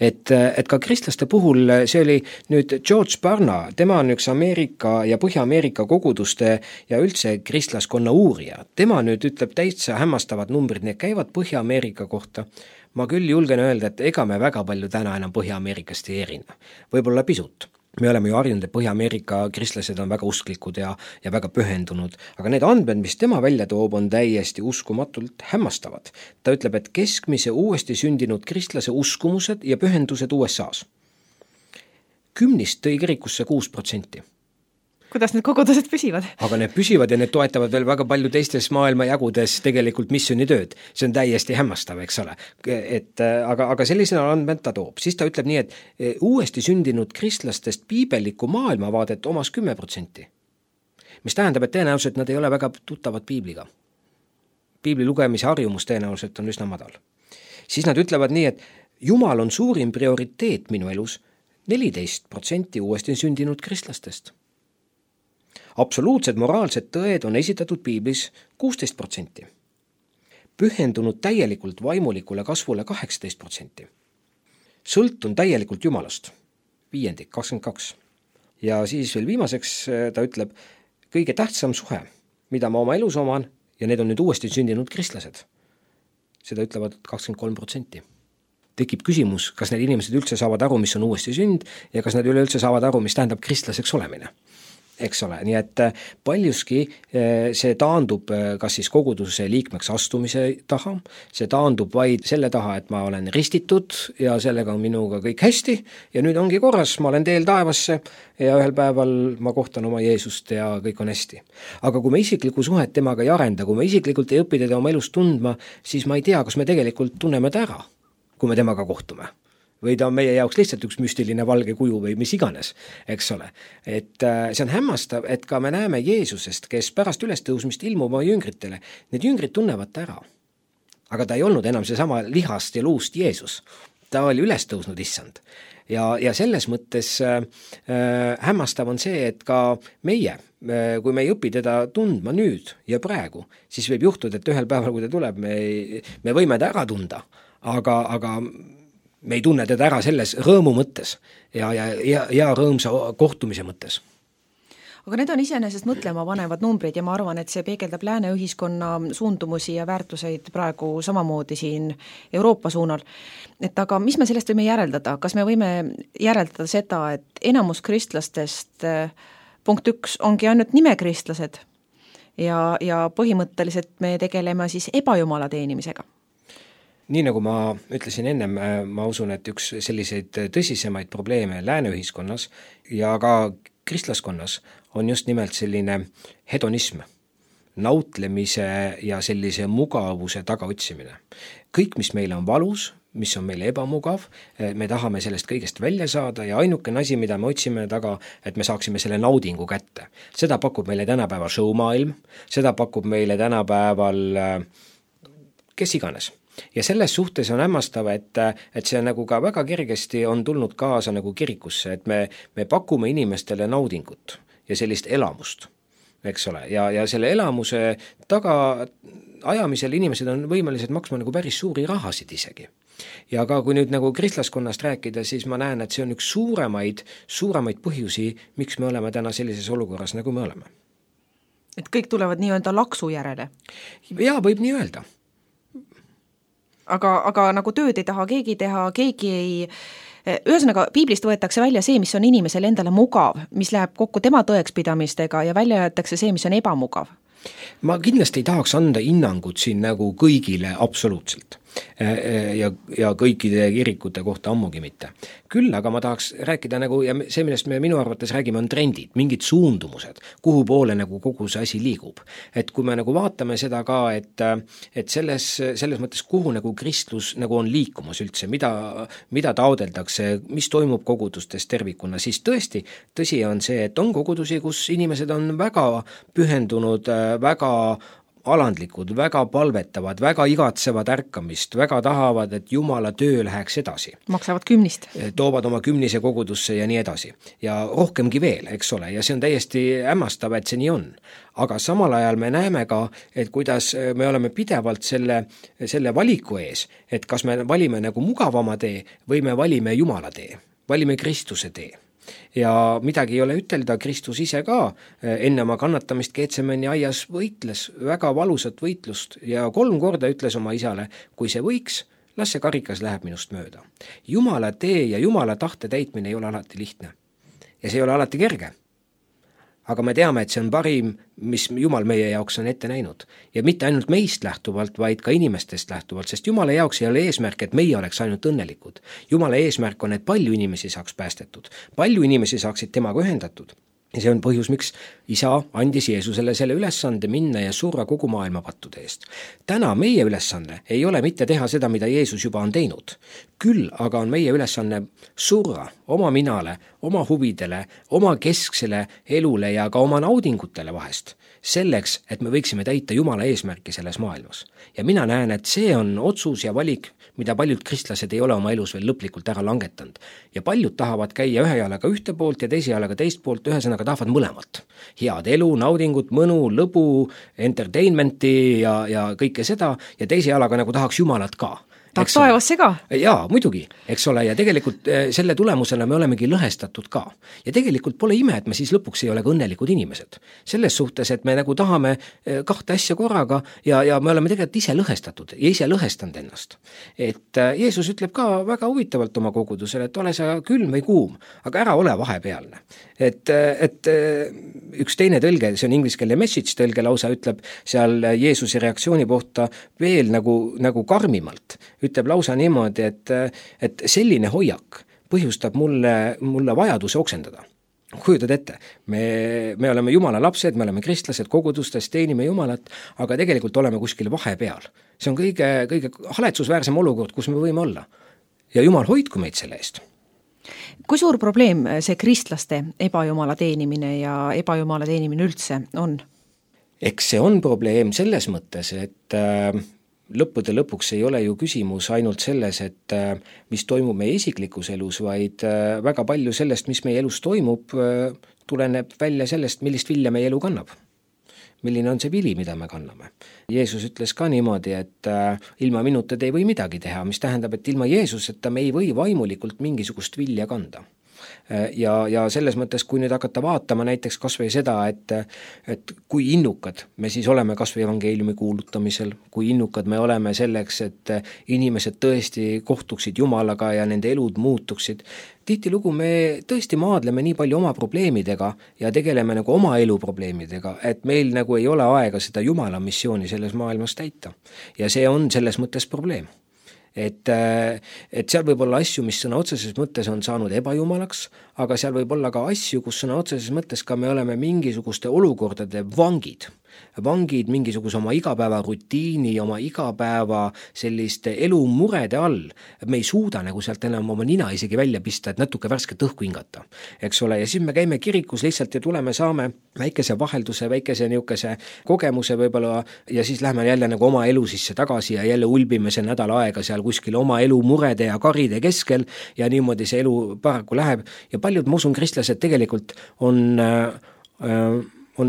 Et ka kristlaste puhul see oli nüüd George Barna, tema on üks Ameerika ja Põhja-Ameerika koguduste ja üldse kristlaskonna uurija. Tema nüüd ütleb täitsa hämmastavad numbrid, need käivad Põhja-Ameerika kohta. Ma küll julgen öelda, et ega me väga palju täna enam Põhja-Ameerikast ei erine. Võib-olla pisut. Me oleme ju harjunud, et Põhja-Ameerika kristlased on väga usklikud ja väga pühendunud, aga need andmed, mis tema välja toob, on täiesti uskumatult hämmastavad. Ta ütleb, et keskmise uuesti sündinud kristlase uskumused ja pühendused USA-s. 10 tõi kirikusse 6%.
Kuidas need kogudused püsivad?
Aga need püsivad ja need toetavad veel väga palju teistes maailma jagudes tegelikult missioonitööd. See on täiesti hämmastav, eks ole. Aga sellisena andmed ta toob. Siis ta ütleb nii, et uuesti sündinud kristlastest piibellikku maailmavaadet omas 10%. Mis tähendab, et tõenäoliselt nad ei ole väga tuttavad piibliga. Piibli lugemise harjumus tõenäoliselt on üsna madal. Siis nad ütlevad nii, et Jumal on suurim prioriteet minu elus 14% uuesti sündinud kristlastest. Absoluutsed moraalsed tõed on esitatud piiblis 16%. Pühendunud täielikult vaimulikule kasvule 18%. Sõltun täielikult Jumalast 5%, 22%. Ja siis veel viimaseks ta ütleb, kõige tähtsam suhe, mida ma oma elus oman, ja need on nüüd uuesti sündinud kristlased. Seda ütlevad 23%. Tekib küsimus, kas need inimesed üldse saavad aru, mis on uuesti sünd, ja kas nad üleüldse saavad aru, mis tähendab kristlaseks olemine. Eks ole, nii et paljuski see taandub kas siis koguduse liikmeks astumise taha, see taandub vaid selle taha, et ma olen ristitud ja sellega on minuga kõik hästi ja nüüd ongi korras, ma olen teel taevasse ja ühel päeval ma kohtan oma Jeesust ja kõik on hästi. Aga kui me isiklikku suhet temaga ei arenda, kui me isiklikult ei õpi teda oma elus tundma, siis ma ei tea, kas me tegelikult tunneme ta ära, kui me temaga kohtume. Või ta on meie jaoks lihtsalt üks müstiline valge kuju või mis iganes, eks ole. Et see on hämmastav, et ka me näeme Jeesusest, kes pärast ülestõusmist ilmub oma jüngritele. Need jüngrid tunnevad ta ära. Aga ta ei olnud enam seesama lihast ja luust Jeesus. Ta oli ülestõusnud issand. Ja selles mõttes hämmastav on see, et ka meie, kui me ei õpi teda tundma nüüd ja praegu, siis võib juhtuda, et ühel päeval, kui ta tuleb, me võime ta ära tunda, aga me ei tunne teda ära selles rõõmu mõttes ja rõõmsa kohtumise mõttes.
Aga need on iseenesest mõtlema panevad numbrid ja ma arvan, et see peegeldab lääne ühiskonna suundumusi ja väärtuseid praegu samamoodi siin Euroopa suunal. Et aga mis me sellest võime järeldada? Kas me võime järeldada seda, et enamus kristlastest punkt 1 ongi ainult nimekristlased ja põhimõtteliselt me tegeleme siis ebajumala teenimisega?
Nii nagu ma ütlesin ennem, ma usun, et üks selliseid tõsisemaid probleeme lääne ühiskonnas ja ka kristlaskonnas on just nimelt selline hedonism, nautlemise ja sellise mugavuse tagaotsimine. Kõik, mis meile on valus, mis on meile ebamugav, me tahame sellest kõigest välja saada ja ainukene asi, mida me otsime taga, et me saaksime selle naudingu kätte. Seda pakub meile tänapäeval showmaailm, seda pakub meile tänapäeval kes iganes. Ja selles suhtes on hämmastav, et see nagu ka väga kergesti on tulnud kaasa nagu kirikusse, et me pakume inimestele naudingut ja sellist elamust, eks ole, ja selle elamuse taga ajamisel inimesed on võimelised maksma nagu päris suuri rahasid isegi. Ja ka kui nüüd nagu kristlaskonnast rääkida, siis ma näen, et see on üks suuremaid põhjusi, miks me oleme täna sellises olukorras, nagu me oleme.
Et kõik tulevad nii-öelda laksu järele?
Jaa, võib nii öelda.
Aga nagu tööd ei taha keegi teha, keegi ei... Ühesõnaga, piiblist võetakse välja see, mis on inimesele endale mugav, mis läheb kokku tema tõekspidamistega ja välja jäetakse see, mis on ebamugav.
Ma kindlasti ei tahaks anda hinnangut siin nagu kõigile absoluutselt ja kõikide kirikute kohta ammugi mitte. Küll aga ma tahaks rääkida nagu, ja see, millest me minu arvates räägime, on trendid, mingid suundumused, kuhu poole nagu kogu see asi liigub. Et kui me nagu vaatame seda ka, et selles mõttes, kuhu nagu kristlus nagu on liikumus üldse, mida taodeldakse, mis toimub kogudustes tervikuna, siis tõsi on see, et on kogudusi, kus inimesed on väga pühendunud, väga alandlikud, väga palvetavad, väga igatsevad ärkamist, väga tahavad, et Jumala töö läheks edasi.
Maksavad kümnist.
Toovad oma kümnise kogudusse ja nii edasi. Ja rohkemgi veel, eks ole, ja see on täiesti hämmastav, et see nii on. Aga samal ajal me näeme ka, et kuidas me oleme pidevalt selle valiku ees, et kas me valime nagu mugavama tee või me valime Jumala tee, valime Kristuse tee. Ja midagi ei ole ütelda, Kristus ise ka enne oma kannatamist Getsemani aias võitles väga valusat võitlust ja 3 korda ütles oma isale, kui see võiks, las see karikas läheb minust mööda. Jumala tee ja Jumala tahte täitmine ei ole alati lihtne ja see ei ole alati kerge. Aga me teame, et see on parim, mis Jumal meie jaoks on ette näinud. Ja mitte ainult meist lähtuvalt, vaid ka inimestest lähtuvalt, sest Jumala jaoks ei ole eesmärk, et meie oleks ainult õnnelikud. Jumala eesmärk on, et palju inimesi saaks päästetud, palju inimesi saaksid temaga ühendatud. Ja see on põhjus, miks isa andis Jeesusele selle ülesande minna ja surra kogu maailma pattude eest. Täna meie ülesanne ei ole mitte teha seda, mida Jeesus juba on teinud. Küll aga on meie ülesanne surra oma minale, oma huvidele, oma kesksele elule ja ka oma naudingutele vahest, selleks, et me võiksime täita Jumala eesmärki selles maailmas. Ja mina näen, et see on otsus ja valik, mida paljud kristlased ei ole oma elus veel lõplikult ära langetanud. Ja paljud tahavad käia ühe jalaga ühte poolt ja teise jalaga teist poolt, ühesõnaga tahavad mõlemat. Head elu, naudingut, mõnu, lõbu, entertainmenti ja kõike seda ja teise jalaga nagu tahaks Jumalat ka.
Tahaks taevasse ka?
Jaa, muidugi, eks ole, ja tegelikult selle tulemusena me olemegi lõhestatud ka. Ja tegelikult pole ime, et me siis lõpuks ei ole ka õnnelikud inimesed. Selles suhtes, et me nagu tahame kahte asja korraga ja me oleme tegelikult ise lõhestatud ja ise lõhestanud ennast. Et Jeesus ütleb ka väga huvitavalt oma kogudusele, et ole sa külm või kuum, aga ära ole vahepealne. Et üks teine tõlge, see on ingliskeelne message tõlge lausa, ütleb seal Jeesuse reaktsiooni kohta veel nagu karmimalt. Ütleb lausa niimoodi, et selline hoiak põhjustab mulle vajaduse oksendada. Kujutad ette, me oleme Jumala lapsed, me oleme kristlased, kogudustes teenime Jumalat, aga tegelikult oleme kuskil vahepeal. See on kõige haletsusväärsem olukord, kus me võime olla. Ja Jumal hoidku meid selle eest.
Kui suur probleem see kristlaste ebajumala teenimine ja ebajumala teenimine üldse on?
Eks see on probleem selles mõttes, et lõppude lõpuks ei ole ju küsimus ainult selles, et mis toimub meie isiklikus elus, vaid väga palju sellest, mis meie elus toimub, tuleneb välja sellest, millist vilja meie elu kannab. Milline on see vili, mida me kanname. Jeesus ütles ka niimoodi, et ilma minuta te ei või midagi teha, mis tähendab, et ilma Jeesuseta me ei või vaimulikult mingisugust vilja kanda. Ja selles mõttes, kui nüüd hakata vaatama näiteks kas või seda, et kui innukad me siis oleme kas või evangeeliumi kuulutamisel, kui innukad me oleme selleks, et inimesed tõesti kohtuksid Jumalaga ja nende elud muutuksid. Tihtilugu me tõesti maadleme nii palju oma probleemidega ja tegeleme nagu oma elu probleemidega, et meil nagu ei ole aega seda Jumala missiooni selles maailmas täita. Ja see on selles mõttes probleem. Et seal võib olla asju, mis sõna otseses mõttes on saanud ebajumalaks, aga seal võib olla ka asju, kus sõna otseses mõttes ka me oleme mingisuguste olukordade vangid mingisuguse oma igapäeva rutiini, oma igapäeva selliste elumurede all. Me ei suuda nagu sealt enam oma nina isegi välja pista, et natuke värsket õhku hingata. Eks ole, ja siis me käime kirikus lihtsalt ja saame väikese vahelduse, väikese niukese kogemuse võib-olla ja siis lähme jälle nagu oma elu sisse tagasi ja jälle ulbime see nädal aega seal kuskil oma elu murede ja karide keskel ja niimoodi see elu paraku läheb ja paljud, ma usun, kristlased tegelikult on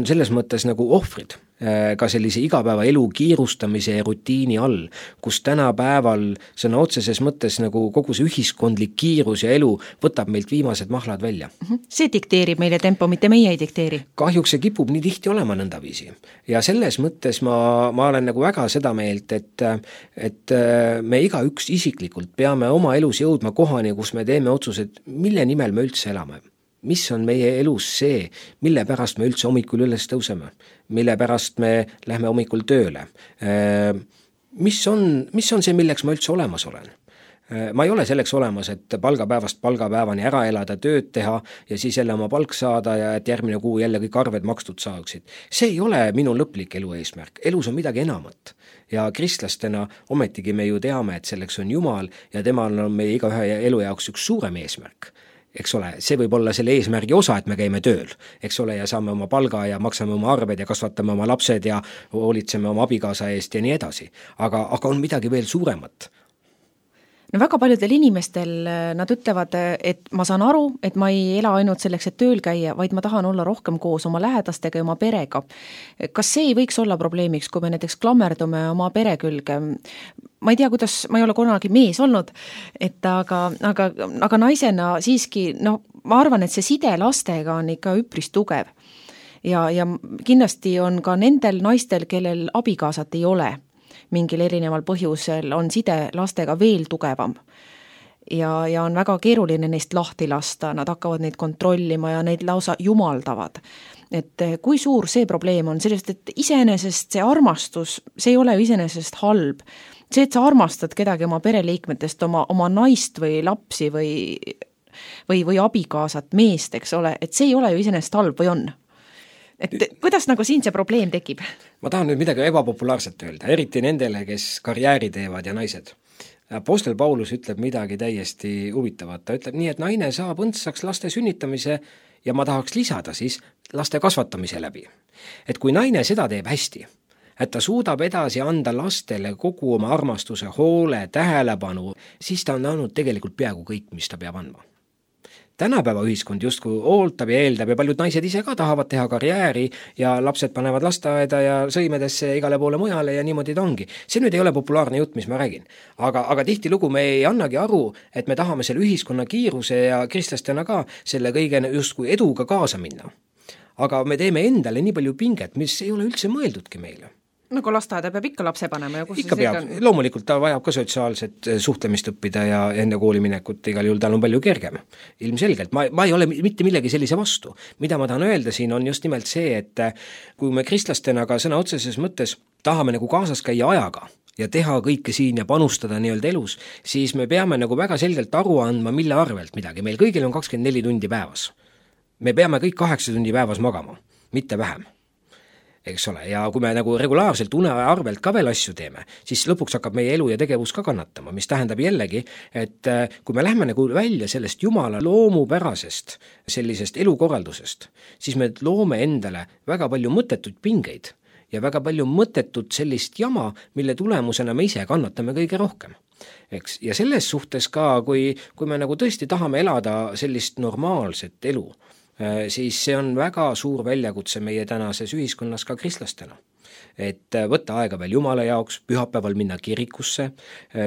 selles mõttes nagu ohvrid ka sellise igapäeva elu kiirustamise ja rutiini all, kus tänapäeval sõna otseses mõttes nagu kogu see ühiskondlik kiirus ja elu võtab meilt viimased mahlad välja.
See dikteerib meile tempo, mitte meie ei dikteeri.
Kahjuks see kipub nii tihti olema nõndaviisi. Ja selles mõttes ma olen nagu väga seda meelt, et me igaüks isiklikult peame oma elus jõudma kohani, kus me teeme otsused, mille nimel me üldse elame. Mis on meie elus see, mille pärast me üldse hommikul üles tõuseme, mille pärast me lähme hommikul tööle, mis on see, milleks ma üldse olemas olen. Ma ei ole selleks olemas, et palgapäevast palgapäevani ära elada, tööd teha ja siis jälle oma palk saada ja et järgmine kuu jälle kõik arved makstud saaksid. See ei ole minu lõplik elu eesmärk. Elus on midagi enamat. Ja kristlastena ometigi me ju teame, et selleks on Jumal ja temal on meie igaühe elu jaoks üks suurem eesmärk. Eks ole, see võib olla selle eesmärgi osa, et me käime tööl, eks ole, ja saame oma palga ja maksame oma arved ja kasvatame oma lapsed ja hoolitseme oma abikaasa eest ja nii edasi. Aga on midagi veel suuremat.
No väga paljudel inimestel nad ütlevad, et ma saan aru, et ma ei ela ainult selleks, et tööl käia, vaid ma tahan olla rohkem koos oma lähedastega ja oma perega. Kas see ei võiks olla probleemiks, kui me näiteks klammerdume oma pere külge? Ma ei tea, kuidas, ma ei ole kunagi mees olnud, aga naisena siiski, ma arvan, et see side lastega on ikka üpris tugev. Ja kindlasti on ka nendel naistel, kellel abikaasat ei ole, mingil erineval põhjusel on side lastega veel tugevam ja on väga keeruline neist lahti lasta, nad hakkavad neid kontrollima ja neid lausa jumaldavad. Et kui suur see probleem on, sellest, et iseenesest see armastus, see ei ole ju iseenesest halb. See, et sa armastad kedagi oma pereliikmetest, oma naist või lapsi või abikaasat, meest, eks ole, et see ei ole ju iseenesest halb või on? Et kuidas nagu siin see probleem tekib?
Ma tahan nüüd midagi ebapopulaarset öelda, eriti nendele, kes karjääri teevad ja naised. Apostel Paulus ütleb midagi täiesti huvitavat, ta ütleb nii, et naine saab õndsaks laste sünnitamise ja ma tahaks lisada siis laste kasvatamise läbi. Et kui naine seda teeb hästi, et ta suudab edasi anda lastele kogu oma armastuse, hoole, tähelepanu, siis ta on andnud tegelikult peaaegu kõik, mis ta peab andma. Tänapäeva ühiskond justkui ooltab ja eeldab ja paljud naised ise ka tahavad teha karjääri ja lapsed panevad lasteaeda ja sõimedesse igale poole mujale ja niimoodi ta ongi. See nüüd ei ole populaarne jutt, mis ma räägin. Aga tihtilugu me ei annagi aru, et me tahame selle ühiskonna kiiruse ja kristlastena ka selle kõige justkui eduga kaasa minna. Aga me teeme endale nii palju pinget, mis ei ole üldse mõeldudki meile.
Nagu lasteaeda peab ikka lapse panema ja kus
ikka peab, loomulikult ta vajab ka sotsiaalset suhtlemist õppida ja enne kooliminekut igal juhul tal on palju kergem. Ilmselgelt, ma ei ole mitte millegi sellise vastu. Mida ma tahan öelda siin on just nimelt see, et kui me kristlastena ka sõna otseses mõttes tahame nagu kaasas käia ajaga ja teha kõike siin ja panustada nii-öelda elus, siis me peame nagu väga selgelt aru andma, mille arvelt midagi. Meil kõigil on 24 tundi päevas. Me peame kõik 8 tundi päevas magama, mitte vähem. Eks ole, ja kui me nagu regulaarselt une arvelt ka veel asju teeme, siis lõpuks hakkab meie elu ja tegevus ka kannatama, mis tähendab jällegi, et kui me lähme nagu välja sellest Jumala loomupärasest sellisest elukorraldusest, siis me loome endale väga palju mõttetuid pingeid ja väga palju mõttetut sellist jama, mille tulemusena me ise kannatame kõige rohkem. Eks? Ja selles suhtes ka, kui me nagu tõesti tahame elada sellist normaalset elu, siis see on väga suur väljakutse meie tänases ühiskonnas ka kristlastena. Et võtta aega veel Jumala jaoks, pühapäeval minna kirikusse,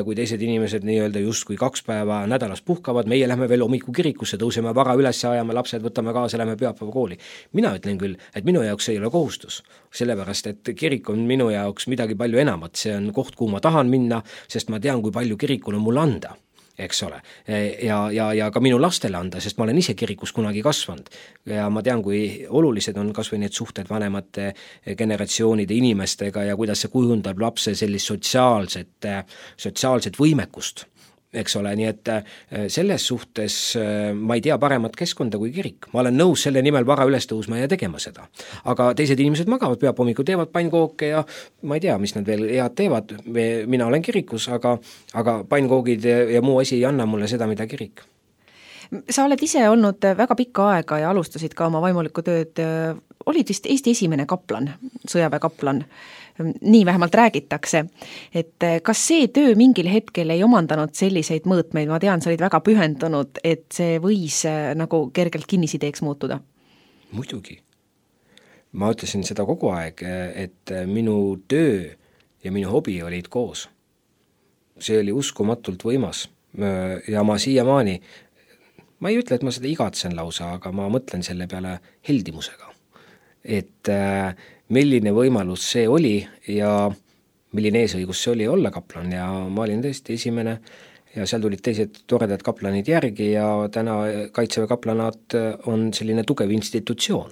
kui teised inimesed nii-öelda justkui 2 päeva nädalas puhkavad, meie lähme veel hommiku kirikusse, tõuseme vara üles, ajame lapsed, võtame kaasa, lähme pühapäeva kooli. Mina ütlen küll, et minu jaoks ei ole kohustus, sellepärast et kirik on minu jaoks midagi palju enamat, see on koht, kuhu ma tahan minna, sest ma tean, kui palju kirikul on mulle anda. Eks ole, ja ka minu lastele anda, sest ma olen ise kirikus kunagi kasvanud ja ma tean, kui olulised on kas või need suhted vanemate generatsioonide inimestega ja kuidas see kujundab lapse sellist sotsiaalset võimekust. Eks ole, nii et selles suhtes ma ei tea paremat keskkonda kui kirik. Ma olen nõus selle nimel vara üles tõusma ja tegema seda. Aga teised inimesed magavad pühahommikul, teevad pannkooke ja ma ei tea, mis nad veel head teevad. Mina olen kirikus, aga pannkoogid ja muu asi ei anna mulle seda, mida kirik.
Sa oled ise olnud väga pikka aega ja alustasid ka oma vaimulikku tööd. Olid vist Eesti esimene kaplan, sõjaväekaplan. Nii vähemalt räägitakse, et kas see töö mingil hetkel ei omandanud selliseid mõõtmeid, ma tean, sa olid väga pühendunud, et see võis nagu kergelt kinnisideeks muutuda?
Muidugi. Ma ütlesin seda kogu aeg, et minu töö ja minu hobi olid koos. See oli uskumatult võimas ja ma siiamaani, ma ei ütle, et ma seda igatsen lausa, aga ma mõtlen selle peale heldimusega. Et milline võimalus see oli ja milline eesõigus see oli olla kaplan ja ma olin tõesti esimene ja seal tulid teised toredad kaplanid järgi ja täna Kaitseväe kaplanaat on selline tugev institutsioon.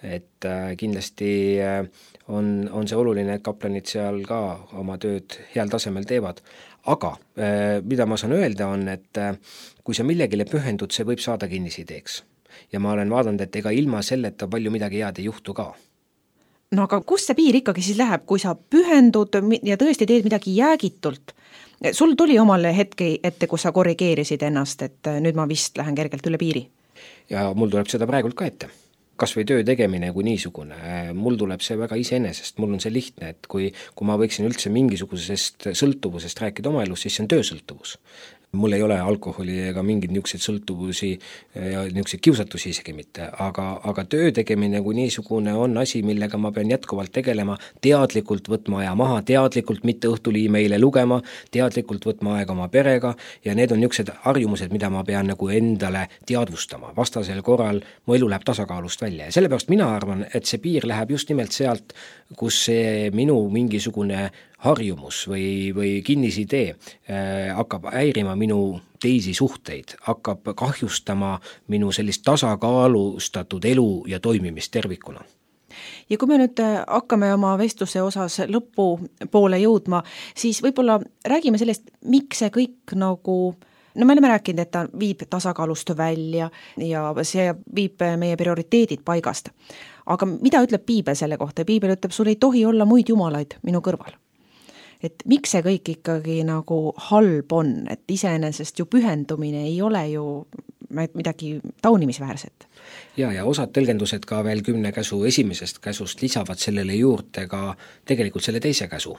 Et kindlasti on see oluline, et kaplanid seal ka oma tööd heal tasemel teevad. Aga mida ma saan öelda on, et kui sa millegile pühendud, see võib saada kinnisideeks. Ja ma olen vaadanud, et ega ilma selleta palju midagi head ei juhtu ka.
No aga kus see piir ikkagi siis läheb, kui sa pühendud ja tõesti teed midagi jäägitult? Sul tuli omal hetke ette, kus sa korrigeerisid ennast, et nüüd ma vist lähen kergelt üle piiri?
Ja mul tuleb seda praegult ka ette. Kas või töö tegemine kui niisugune. Mul tuleb see väga iseenesest, mul on see lihtne, et kui ma võiksin üldse mingisugusest sõltuvusest rääkida oma elus, siis see on töösõltuvus. Mul ei ole alkoholi ega mingid niisugused sõltuvusi ja niisugused kiusatusi isegi mitte, aga töö tegemine kui niisugune on asi, millega ma pean jätkuvalt tegelema, teadlikult võtma aja maha, teadlikult mitte õhtuli meile lugema, teadlikult võtma aega oma perega ja need on niisugused harjumused, mida ma pean nagu endale teadvustama. Vastasel korral mu elu läheb tasakaalust välja ja sellepärast mina arvan, et see piir läheb just nimelt sealt, kus see minu mingisugune harjumus või kinnisidee hakkab häirima minu teisi suhteid, hakkab kahjustama minu sellist tasakaalustatud elu ja toimimist tervikuna.
Ja kui me nüüd hakkame oma vestluse osas lõpu poole jõudma, siis võib-olla räägime sellest, miks see kõik nagu, no me oleme rääkinud, et ta viib tasakaalust välja ja see viib meie prioriteedid paigast. Aga mida ütleb Piibel selle kohta? Piibel ütleb, sul ei tohi olla muid jumalaid minu kõrval. et miks see kõik ikkagi nagu halb on, et iseenesest ju pühendumine ei ole ju midagi taunimisväärset.
Ja osad tõlgendused ka veel 10 käsu esimesest käsust lisavad sellele juurde ka tegelikult selle teise käsu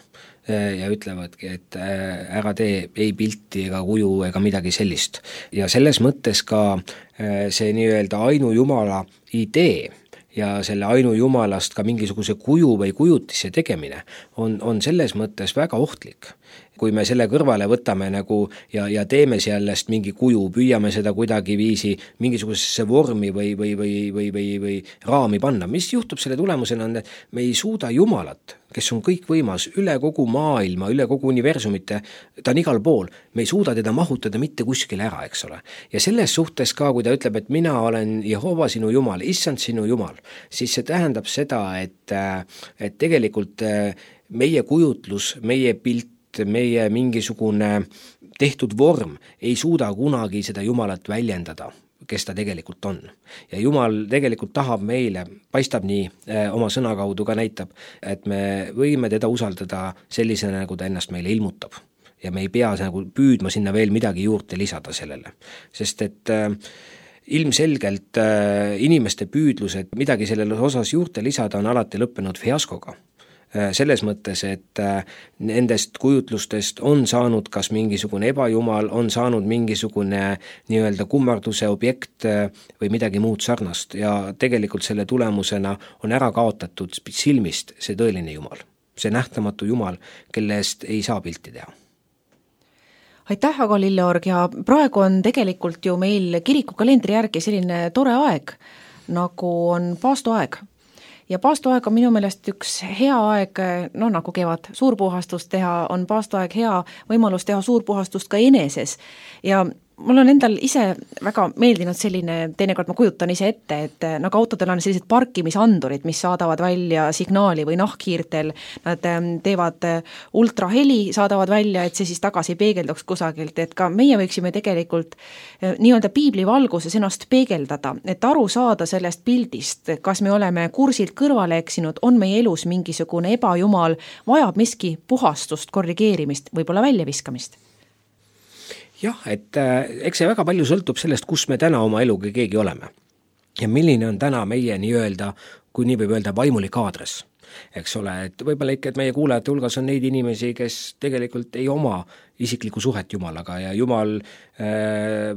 ja ütlevadki, et ära tee ei pilti ega kuju ega midagi sellist. Ja selles mõttes ka see nii-öelda ainujumala idee ja selle ainujumalast ka mingisuguse kuju või kujutise tegemine on selles mõttes väga ohtlik. Kui me selle kõrvale võtame nagu ja teeme sellest mingi kuju, püüame seda kuidagi viisi mingisugusesse vormi või raami panna, mis juhtub selle tulemusena on, et me ei suuda Jumalat, kes on kõikvõimas üle kogu maailma, üle kogu universumite, ta on igal pool, me ei suuda teda mahutada mitte kuskile ära, eks ole. Ja selles suhtes ka, kui ta ütleb, et mina olen Jehova sinu Jumal, issand sinu Jumal, siis see tähendab seda, et tegelikult meie kujutlus, meie pilt, meie mingisugune tehtud vorm ei suuda kunagi seda Jumalat väljendada, kes ta tegelikult on. Ja Jumal tegelikult tahab meile, paistab nii, oma sõna kaudu ka näitab, et me võime teda usaldada sellisena, nagu ta ennast meile ilmutab. Ja me ei pea nagu püüdma sinna veel midagi juurde lisada sellele. Sest et ilmselgelt inimeste püüdlused midagi sellele osas juurde lisada on alati lõppenud fiaskoga. Selles mõttes, et nendest kujutlustest on saanud kas mingisugune ebajumal, on saanud mingisugune nii-öelda kummarduse objekt või midagi muud sarnast ja tegelikult selle tulemusena on ära kaotatud silmist see tõeline Jumal, see nähtamatu Jumal, kellest ei saa pilti teha.
Aitäh, Ago Lilleorg, ja praegu on tegelikult ju meil kirikukalendri järgi selline tore aeg, nagu on paastoaeg. Ja paastoaeg on minu meelest üks hea aeg, nagu kevad suurpuhastust teha, on paastoaeg hea võimalus teha suurpuhastust ka eneses. Ja mul on endal ise väga meeldinud selline, teinekord ma kujutan ise ette, et nagu autodel on sellised parkimisandurid, mis saadavad välja signaali või nahkhiirtel, nad teevad ultraheli, saadavad välja, et see siis tagasi peegelduks kusagilt, et ka meie võiksime tegelikult nii-öelda piibli valguses ennast peegeldada, et aru saada sellest pildist, kas me oleme kursilt kõrvale eksinud, on meie elus mingisugune ebajumal, vajab miski puhastust, korrigeerimist, võib-olla väljaviskamist.
Jah, et eks see väga palju sõltub sellest, kus me täna oma eluga keegi oleme. Ja milline on täna meie nii-öelda, kui nii võib öelda, vaimulik aadres. Eks ole, et võib-olla ikka, et meie kuulajate hulgas on neid inimesi, kes tegelikult ei oma isiklikku suhet Jumalaga ja Jumal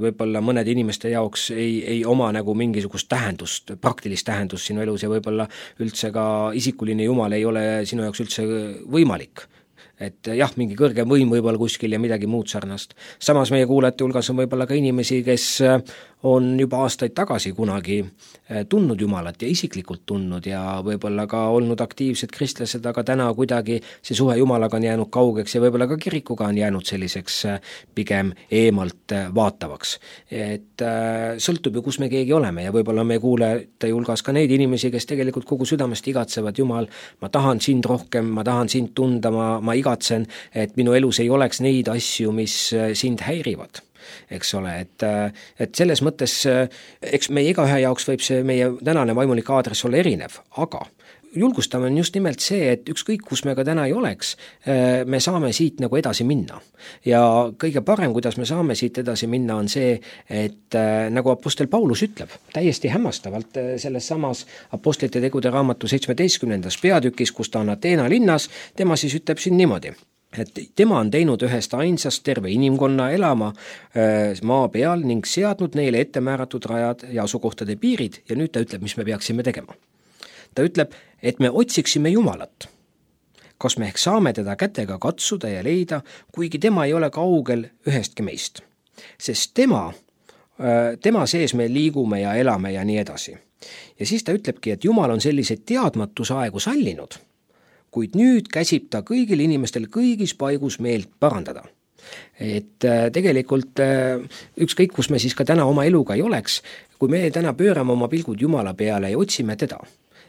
võib-olla mõnede inimeste jaoks ei oma nagu mingisugust tähendust, praktilist tähendust sinu elus ja võib-olla üldse ka isikuline Jumal ei ole sinu jaoks üldse võimalik. Et jah, mingi kõrgem võim võib-olla kuskil ja midagi muud sarnast. Samas meie kuulajate hulgas on võib-olla ka inimesi, kes on juba aastaid tagasi kunagi tundnud Jumalat ja isiklikult tundnud ja võib-olla ka olnud aktiivsed kristlased, aga täna kuidagi see suhe Jumalaga on jäänud kaugeks ja võib-olla ka kirikuga on jäänud selliseks pigem eemalt vaatavaks. Et sõltub ju, kus me keegi oleme ja võib-olla meie kuulajate hulgas ka neid inimesi, kes tegelikult kogu südamest igatsevad, Jumal, ma tahan sind rohkem, ma tahan sind tunda, ma igatsen, et minu elus ei oleks neid asju, mis sind häirivad. Eks ole, et selles mõttes, eks meie igaühe jaoks võib see meie tänane vaimulik aadress olla erinev, aga julgustame on just nimelt see, et ükskõik, kus me ka täna ei oleks, me saame siit nagu edasi minna. Ja kõige parem, kuidas me saame siit edasi minna, on see, et nagu apostel Paulus ütleb, täiesti hämmastavalt selles samas apostlite tegude raamatu 17. peatükis, kus ta on Ateena linnas, tema siis ütleb siin niimoodi, et tema on teinud ühest ainsast terve inimkonna elama maa peal ning seadnud neile ettemääratud rajad ja asukohtade piirid ja nüüd ta ütleb, mis me peaksime tegema. Ta ütleb, et me otsiksime Jumalat. Kas me ehk saame teda kätega katsuda ja leida, kuigi tema ei ole kaugel ühestki meist. Sest tema sees me liigume ja elame ja nii edasi. Ja siis ta ütlebki, et Jumal on selliseid teadmatusaegu sallinud, kuid nüüd käsib ta kõigil inimestel kõigis paigus meelt parandada. Et tegelikult ükskõik, kus me siis ka täna oma eluga ei oleks, kui me täna pöörame oma pilgud Jumala peale ja otsime teda,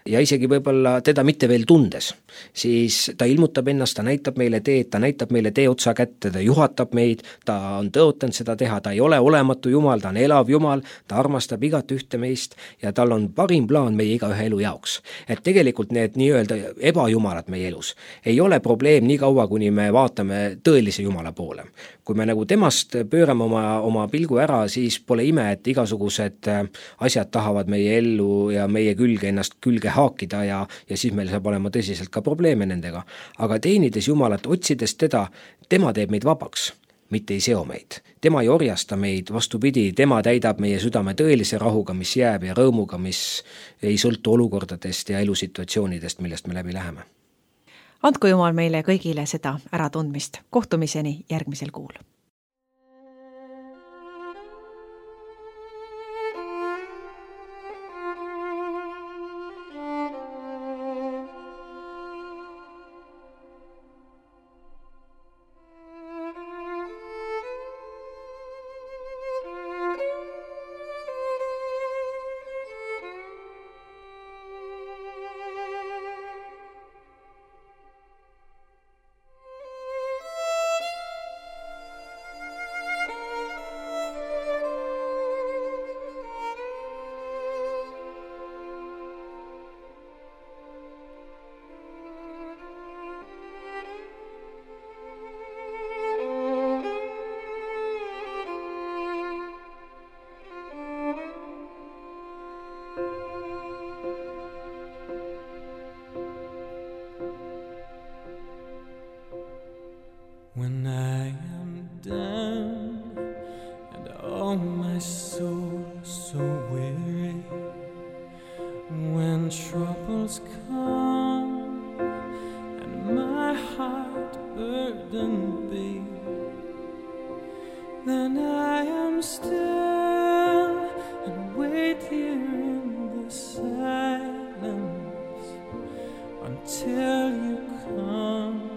ja isegi võib-olla teda mitte veel tundes, siis ta ilmutab ennast, ta näitab meile teed, ta näitab meile tee otsa kätte, ta juhatab meid, ta on tõotanud seda teha, ta ei ole olematu Jumal, ta on elav Jumal, ta armastab igat ühte meist ja tal on parim plaan meie igaühe elu jaoks. Et tegelikult need nii-öelda ebajumalad meie elus ei ole probleem nii kaua, kuni me vaatame tõelise Jumala poole. Kui me nagu temast pöörame oma pilgu ära, siis pole ime, et igasugused asjad tahavad meie ellu ja meie ennast külge haakida ja siis meil saab olema tõsiselt ka probleeme nendega. Aga teenides Jumalat, otsides teda, tema teeb meid vabaks, mitte ei seo meid. Tema ei orjasta meid, vastupidi, tema täidab meie südame tõelise rahuga, mis jääb ja rõõmuga, mis ei sõltu olukordadest ja elusituatsioonidest, millest me läbi läheme.
Andku Jumal meile kõigile seda äratundmist. Kohtumiseni järgmisel kuul.
When I am down and all my soul so weary, when troubles come and my heart burdened be, then I am still and wait here in the silence until you come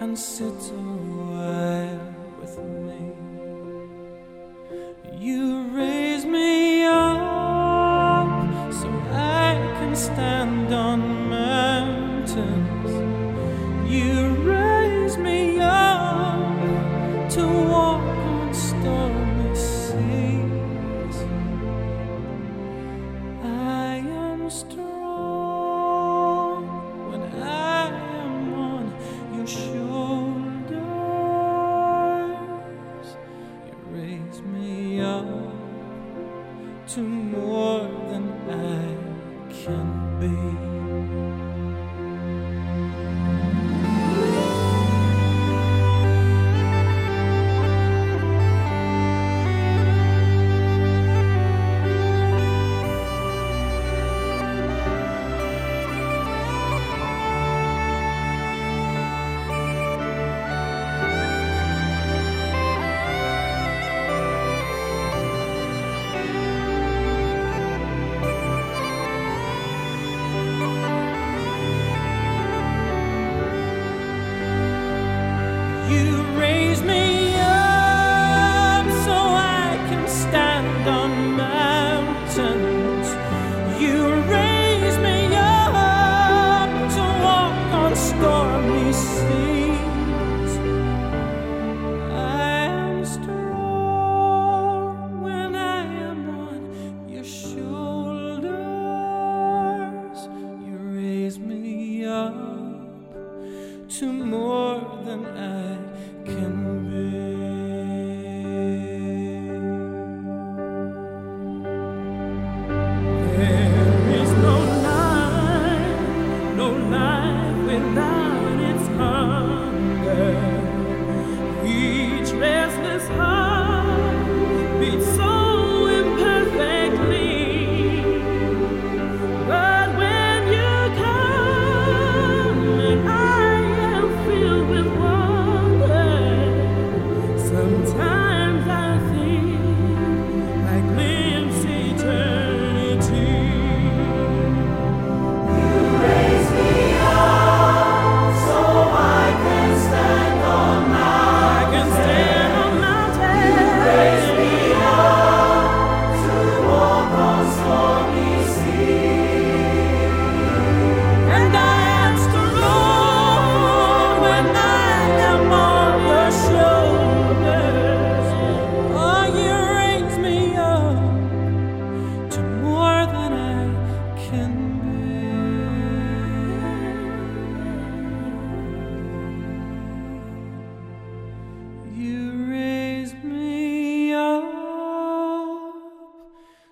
and sit a while with me. You raise me up so I can stand on mountains. You raise me up to walk on stormy seas. I am strong when I am on your shoulders. You raise me up to more than I can be.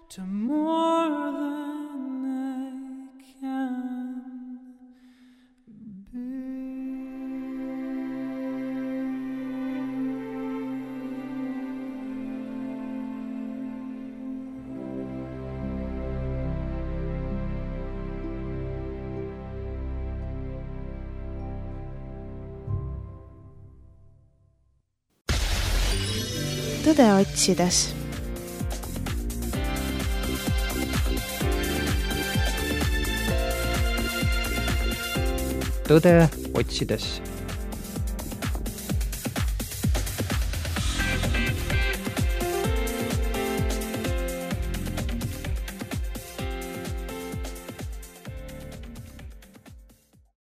to more than I can be.
Tõde otsides.
Tõde otsides.